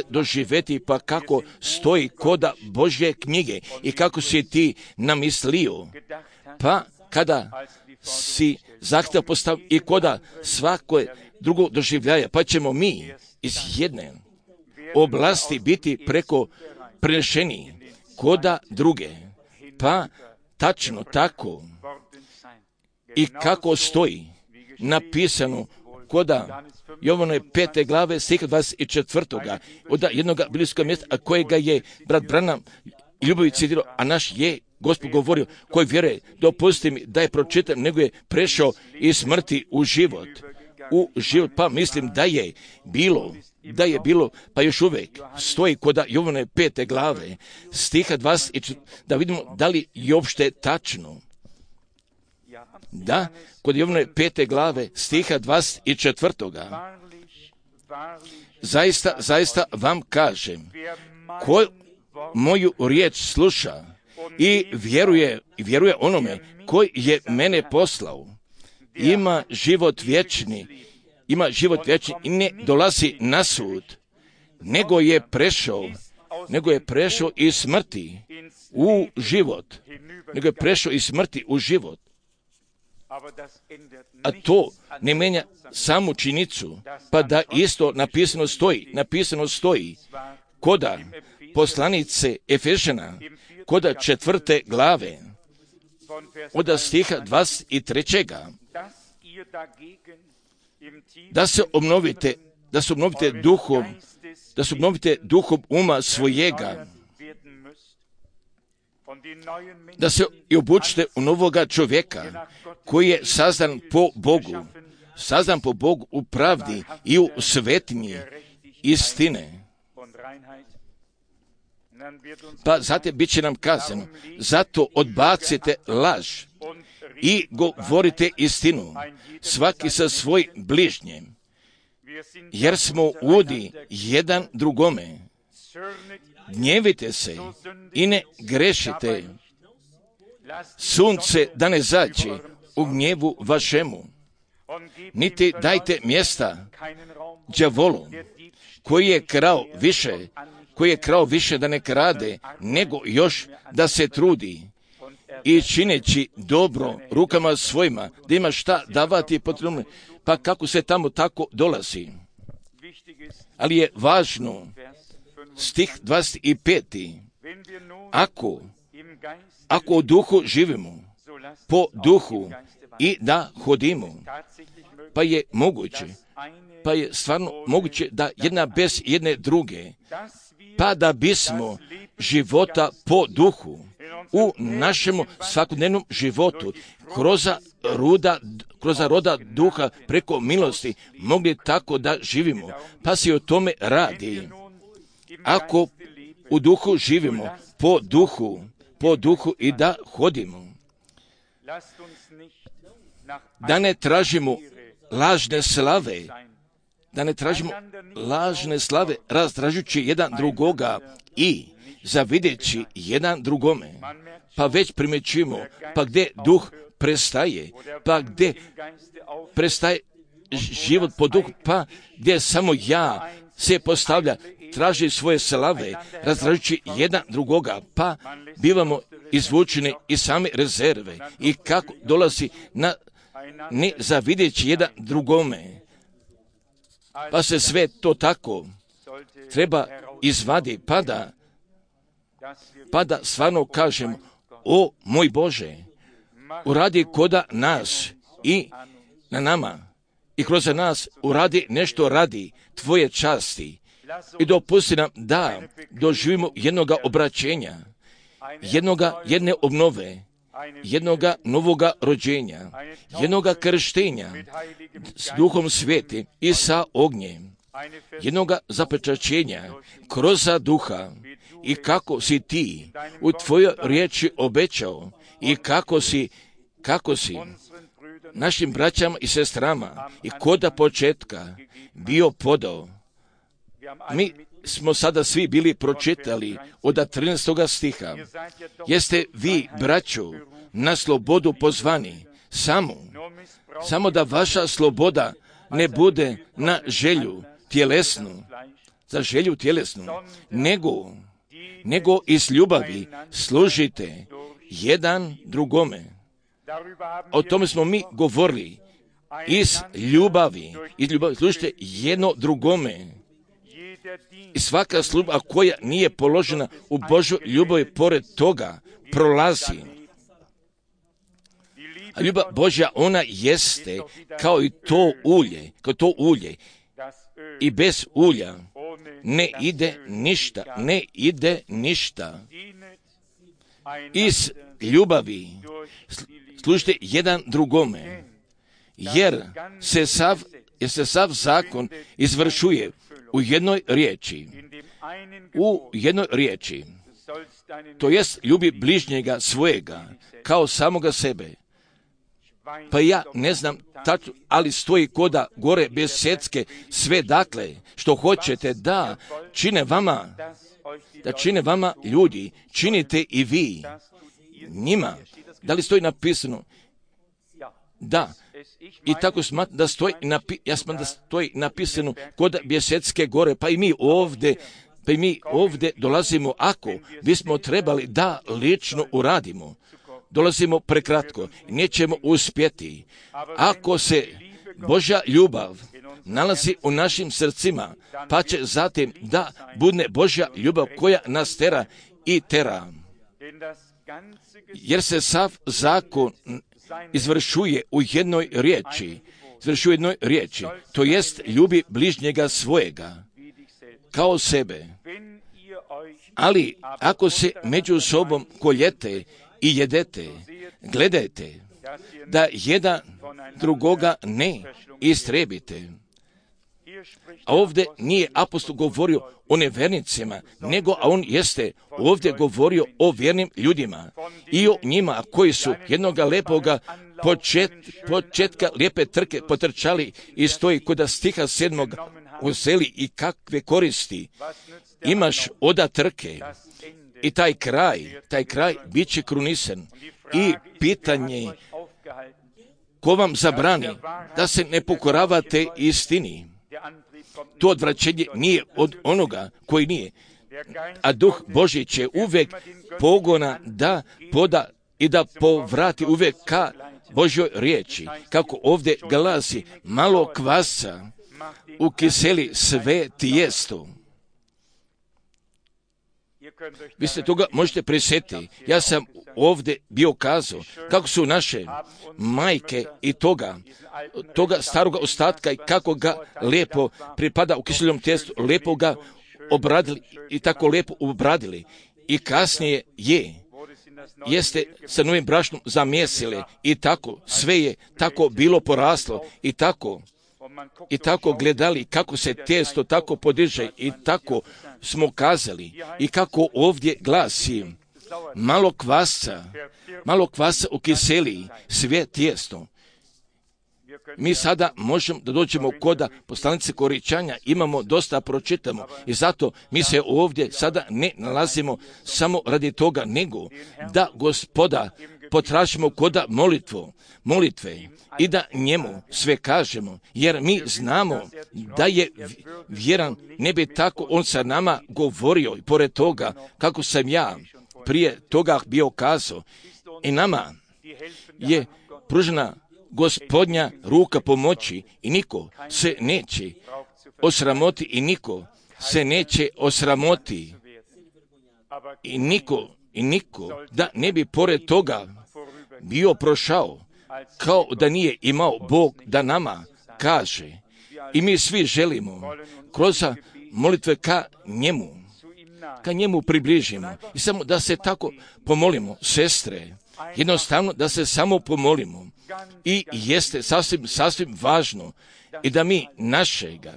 doživjeti, pa kako stoji koda Božje knjige i kako si ti namislio. Pa kada si zahtjev postavio i koda svako drugo doživljaje, pa ćemo mi iz jedne oblasti biti preko prenešeni koda druge. Pa tačno tako i kako stoji napisano koda Jovanove pete glave stiha dvadeset četvrtoga od jednog biblijskog mjesta, a kojega je brat Branham ljubavi citirao, a naš je Gospod govorio, koji vjeruje, dopusti mi da je pročitam, nego je prešao iz smrti u život. U život, pa mislim da je bilo, da je bilo, pa još uvijek stoji kod Jovanove pete glave, stiha dvadeset, da vidimo da li je uopšte tačno. Da, kod Jovanove pete glave, stiha dvadeset četvrtoga. Zaista, zaista vam kažem, ko moju riječ sluša i vjeruje, vjeruje onome koji je mene poslao, ima život vječni, ima život vječni i ne dolazi na sud, nego je prešao, nego je prešao iz smrti u život, nego je prešao iz smrti u život. A to ne mijenja samu činjenicu, pa da isto napisano stoji, napisano stoji koda poslanice Efežana, koda četvrte glave, od stiha dvadeset trećega. Da se obnovite, da se obnovite duhom, da se obnovite duhom uma svojega, da se i obučite u novoga čovjeka koji je sazdan po Bogu, sazdan po Bogu u pravdi i u svetinji istine. Pa zatim bit će nam kazano, zato odbacite laž i govorite istinu, svaki sa svoj bližnjem, jer smo udi jedan drugome. Gnjevite se i ne grešite, sunce da ne zađe u gnjevu vašemu, niti dajte mjesta đavolu, koji je krao više, koji je krao više da ne krade, nego još da se trudi i čineći dobro rukama svojima, da ima šta davati potrebno, pa kako se tamo tako dolazi. Ali je važno, stih dvadeset pet. Ako, ako u duhu živimo, po duhu i da hodimo, pa je moguće, pa je stvarno moguće da jedna bez jedne druge, pa da bismo života po duhu u našem svakodnevnom životu kroz ruda, kroz roda duha preko milosti mogli tako da živimo. Pa se o tome radi. Ako u duhu živimo po duhu, po duhu i da hodimo, da ne tražimo lažne slave, da ne tražimo lažne slave razdražujući jedan drugoga i zavideći jedan drugome, pa već primjećujemo, pa gdje duh prestaje, pa gdje prestaje život po duhu, pa gdje samo ja se postavlja, traži svoje slave, razdražujući jedan drugoga, pa bivamo izvučeni iz same rezerve i kako dolazi na ne zavideći jedan drugome, pa se sve to tako treba izvadi, pa da, pa da stvarno kažem, o moj Bože, uradi koda nas i na nama i kroz nas uradi nešto radi tvoje časti i dopusti nam da doživimo jednoga obraćenja, jednoga, jedne obnove, jednoga novoga rođenja, jednoga krštenja s Duhom Svetim i sa ognjem, jednoga zapečaćenja kroz duha i kako si ti u tvojoj riječi obećao i kako si, kako si našim braćama i sestrama i koda početka bio podao. Mi smo sada svi bili pročitali od trinaestog stiha. Jeste vi, braćo, na slobodu pozvani, samo, samo da vaša sloboda ne bude na želju tjelesnu, za želju tjelesnu, nego, nego iz ljubavi služite jedan drugome. O tome smo mi govorili. Iz ljubavi, iz ljubavi služite jedno drugome. I svaka služba koja nije položena u Božoj ljubavi pored toga prolazi. A ljubav Božja, ona jeste kao i to ulje, kao to ulje. I bez ulja ne ide ništa, ne ide ništa. Iz ljubavi služite jedan drugome, jer se sav, jer se sav zakon izvršuje u jednoj riječi, u jednoj riječi, to jest ljubi bližnjega svojega kao samoga sebe. Pa ja ne znam tačno, ali stoji koda gore bez secke sve dakle što hoćete da čine vama, da čine vama ljudi, činite i vi njima. Da li stoji napisano? Da. I tako smatram da stoji, napi, ja smatram da stoji napisano kod Bjesetske gore, pa i mi ovdje, pa i mi ovdje dolazimo ako bismo trebali da lično uradimo. Dolazimo prekratko, nećemo uspjeti. Ako se Božja ljubav nalazi u našim srcima, pa će zatim da bude Božja ljubav koja nas tera i tera. Jer se sav zakon izvršuje u jednoj riječi, izvršuje u jednoj riječi, to jest ljubi bližnjega svojega, kao sebe. Ali ako se među sobom koljete i jedete, gledajte da jedan drugoga ne istrebite. A ovdje nije apostol govorio o nevernicima, nego a on jeste ovdje govorio o vjernim ljudima i o njima koji su jednoga lepoga počet, početka lijepe trke potrčali i stoji kod stiha sedmog uzeli i kakve koristi imaš oda trke i taj kraj, taj kraj bit će krunisan. I pitanje ko vam zabrani da se ne pokoravate istini? To odvraćenje nije od onoga koji nije. A Duh Božji će uvijek pogona da poda i da povrati uvijek ka Božjoj riječi. Kako ovdje glasi, malo kvasa ukiseli sve tijesto. Vi se toga možete prisjetiti. Ja sam ovdje bio kazao kako su naše majke i toga, toga staroga ostatka i kako ga lijepo pripada u kiseljenom tijestu, lijepo ga obradili i tako lijepo obradili. I kasnije je, jeste sa novim brašnom zamjesili i tako, sve je tako bilo poraslo i tako, i tako gledali kako se tijesto tako podiže i tako smo kazali i kako ovdje glasi malo kvasca, malo kvasa ukiseli sve tijesto. Mi sada možemo da dođemo koda poslanice Koričanja, imamo dosta pročitamo i zato mi se ovdje sada ne nalazimo samo radi toga, nego da Gospoda potražimo koda molitvu, molitve i da njemu sve kažemo, jer mi znamo da je vjeran, ne bi tako on sa nama govorio i pored toga kako sam ja prije toga bio kazao i nama je pružena Gospodnja ruka pomoći i niko se neće osramoti i niko se neće osramoti i niko i niko da ne bi pored toga bio prošao kao da nije imao Bog da nama kaže i mi svi želimo kroz molitve ka njemu, ka njemu približimo i samo da se tako pomolimo, sestre, jednostavno da se samo pomolimo i jeste sasvim, sasvim važno i da mi našega,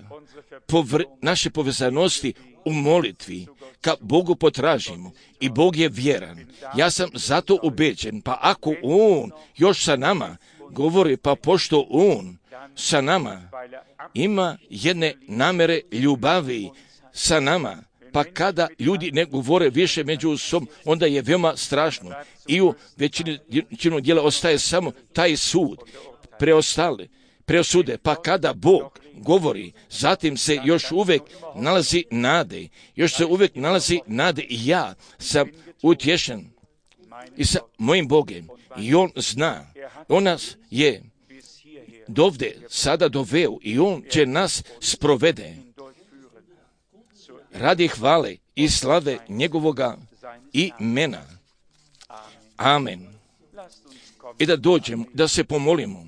povr, naše povezanosti u molitvi ka Bogu potražimo i Bog je vjeran. Ja sam zato ubeđen, pa ako On još sa nama govori, pa pošto on sa nama ima jedne namere ljubavi sa nama, pa kada ljudi ne govore više među sobom, onda je veoma strašno. I u većini većinu dijela ostaje samo taj sud, preostale, preosude. Pa kada Bog govori, zatim se još uvijek nalazi nade, još se uvijek nalazi nade i ja sam utješen i sa mojim Bogem. I on zna, on nas je dovde sada doveo i on će nas sprovede radi hvale i slave njegovoga imena. Amen. I da dođemo, da se pomolimo.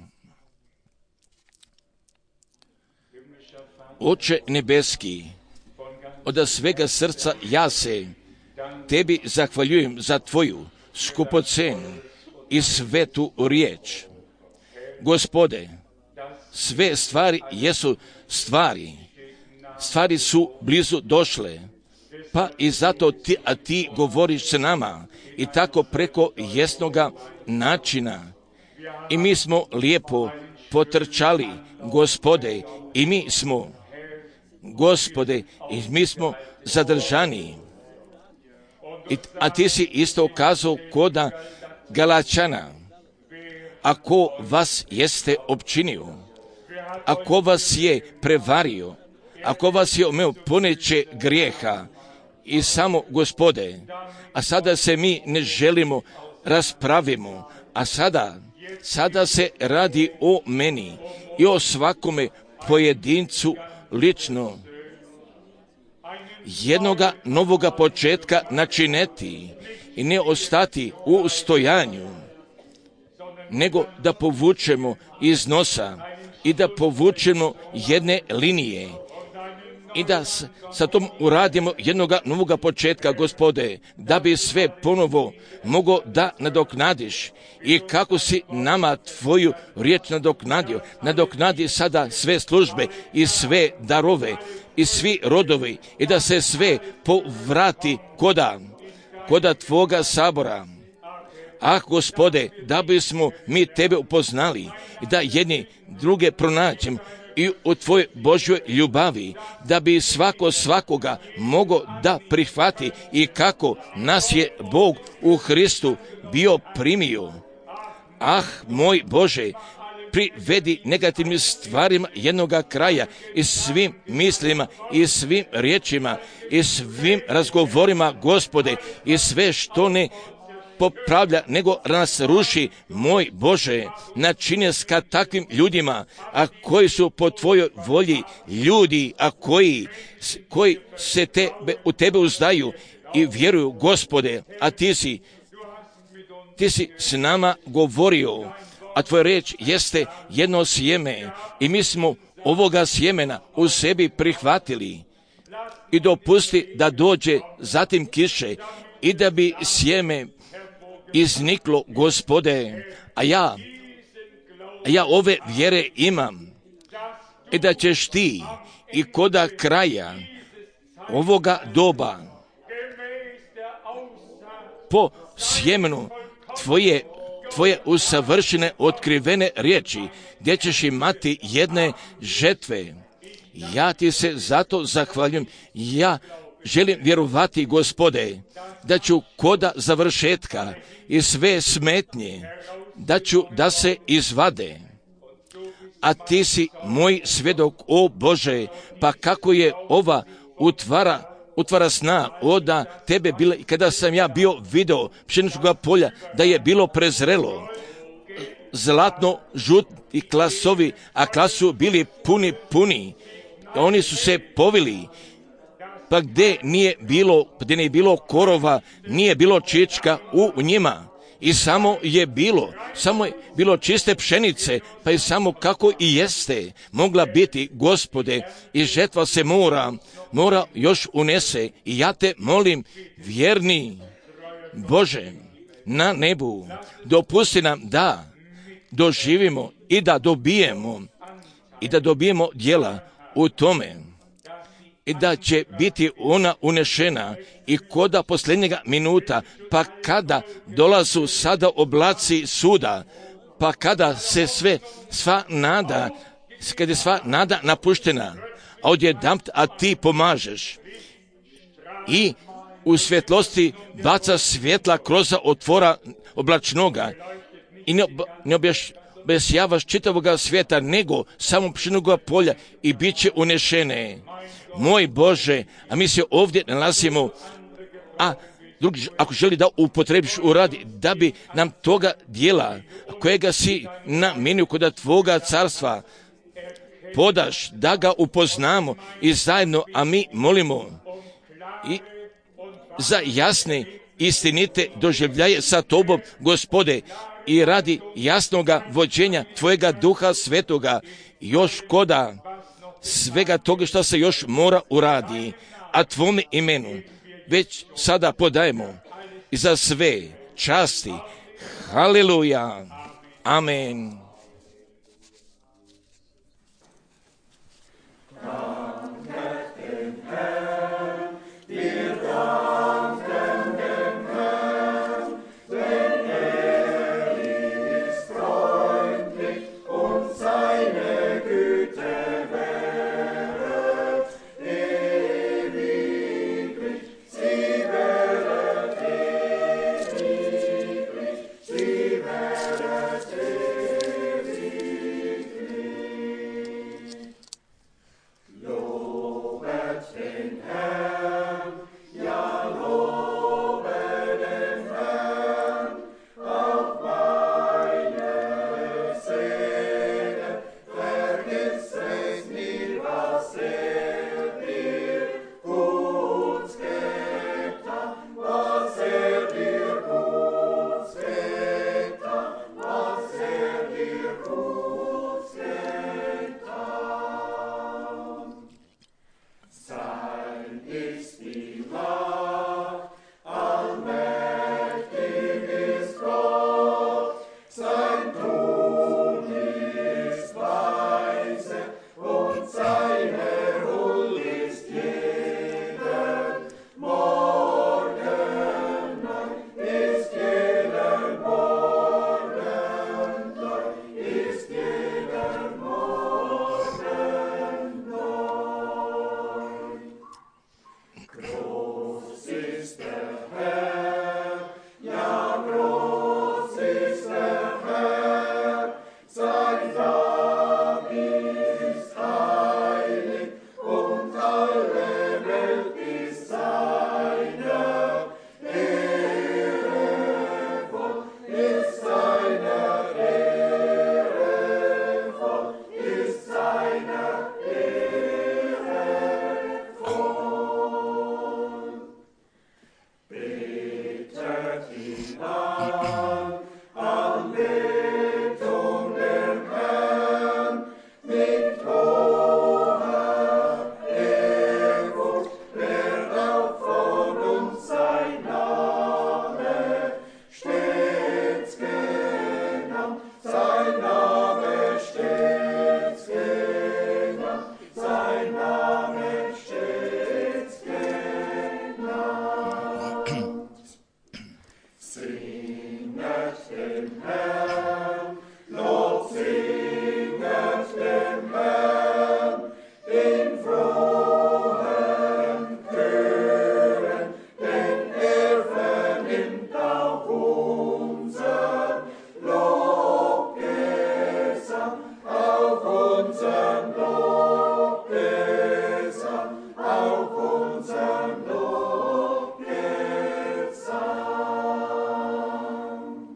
Oče nebeski, od svega srca ja se tebi zahvaljujem za tvoju skupocenu i svetu riječ. Gospode, sve stvari jesu stvari. Stvari su blizu došle, pa i zato ti, a ti govoriš s nama i tako preko jasnoga načina. I mi smo lijepo potrčali, Gospode, i mi smo, Gospode, i mi smo zadržani. I, a ti si isto kazao koda Galačana, ako vas jeste opčinio, ako vas je prevario, ako vas je omeo poneće grijeha i samo Gospode, a sada se mi ne želimo raspravimo, a sada, sada se radi o meni i o svakome pojedincu lično. Jednoga novoga početka načineti i ne ostati u stojanju, nego da povučemo iz nosa i da povučemo jedne linije i da s, sa tom uradimo jednoga novoga početka, Gospode, da bi sve ponovo mogo da nadoknadiš i kako si nama tvoju riječ nadoknadio. Nadoknadi sada sve službe i sve darove i svi rodovi i da se sve povrati koda, koda tvoga sabora. Ah, Gospode, da bismo mi tebe upoznali i da jedni druge pronađemo i u tvojoj Božjoj ljubavi, da bi svako svakoga mogo da prihvati i kako nas je Bog u Hristu bio primio. Ah, moj Bože, privedi negativnim stvarima jednoga kraja i svim mislima i svim riječima i svim razgovorima, Gospode, i sve što ne popravlja, nego nas ruši, moj Bože, načinje s ka takvim ljudima, a koji su po tvojoj volji ljudi, a koji, koji se tebe, u tebe uzdaju i vjeruju, Gospode, a ti si, ti si s nama govorio, a tvoja reč jeste jedno sjeme i mi smo ovoga sjemena u sebi prihvatili i dopusti da dođe zatim kiše i da bi sjeme izniklo, Gospode, a ja, a ja ove vjere imam i da ćeš ti i koda kraja ovoga doba po sjemenu tvoje, tvoje usavršene otkrivene riječi gdje ćeš imati jedne žetve. Ja ti se zato zahvaljujem. Ja želim vjerovati, Gospode, da ću koda završetka i sve smetnje, da ću da se izvade. A ti si moj svjedok, o Bože, pa kako je ova utvara, utvara sna oda tebe bila, i kada sam ja bio video pšeničnog polja, da je bilo prezrelo, zlatno žuti klasovi, a klasu bili puni, puni, oni su se povili, pa gdje nije bilo, gdje nije bilo korova, nije bilo čička u njima. I samo je bilo, samo je bilo čiste pšenice, pa i samo kako i jeste mogla biti, Gospode, i žetva se mora, mora još unese. I ja te molim, vjerni Bože, na nebu, dopusti nam da doživimo i da dobijemo, i da dobijemo djela u tome. I da će biti ona unešena i koda posljednjega minuta, pa kada dolazu sada oblaci suda, pa kada se sve, sva nada, kada je sva nada napuštena, a odjedanput, a ti pomažeš i u svjetlosti baca svjetla kroz otvora oblačnoga i ne, ob, ne objaš, objašnjavaš čitavoga svijeta, nego samo pšenoga polja i bit će unešene. Moj Bože, a mi se ovdje nalazimo, a drugi, ako želi da upotrebiš u radi, da bi nam toga dijela, kojega si namenio kod tvoga carstva, podaš, da ga upoznamo i zajedno, a mi molimo i za jasne, istinite doživljaje sa tobom, Gospode, i radi jasnoga vođenja tvojega Duha Svetoga, još koda svega toga što se još mora uradi, a tvome imenu već sada podajemo i za sve časti. Haleluja. Amen.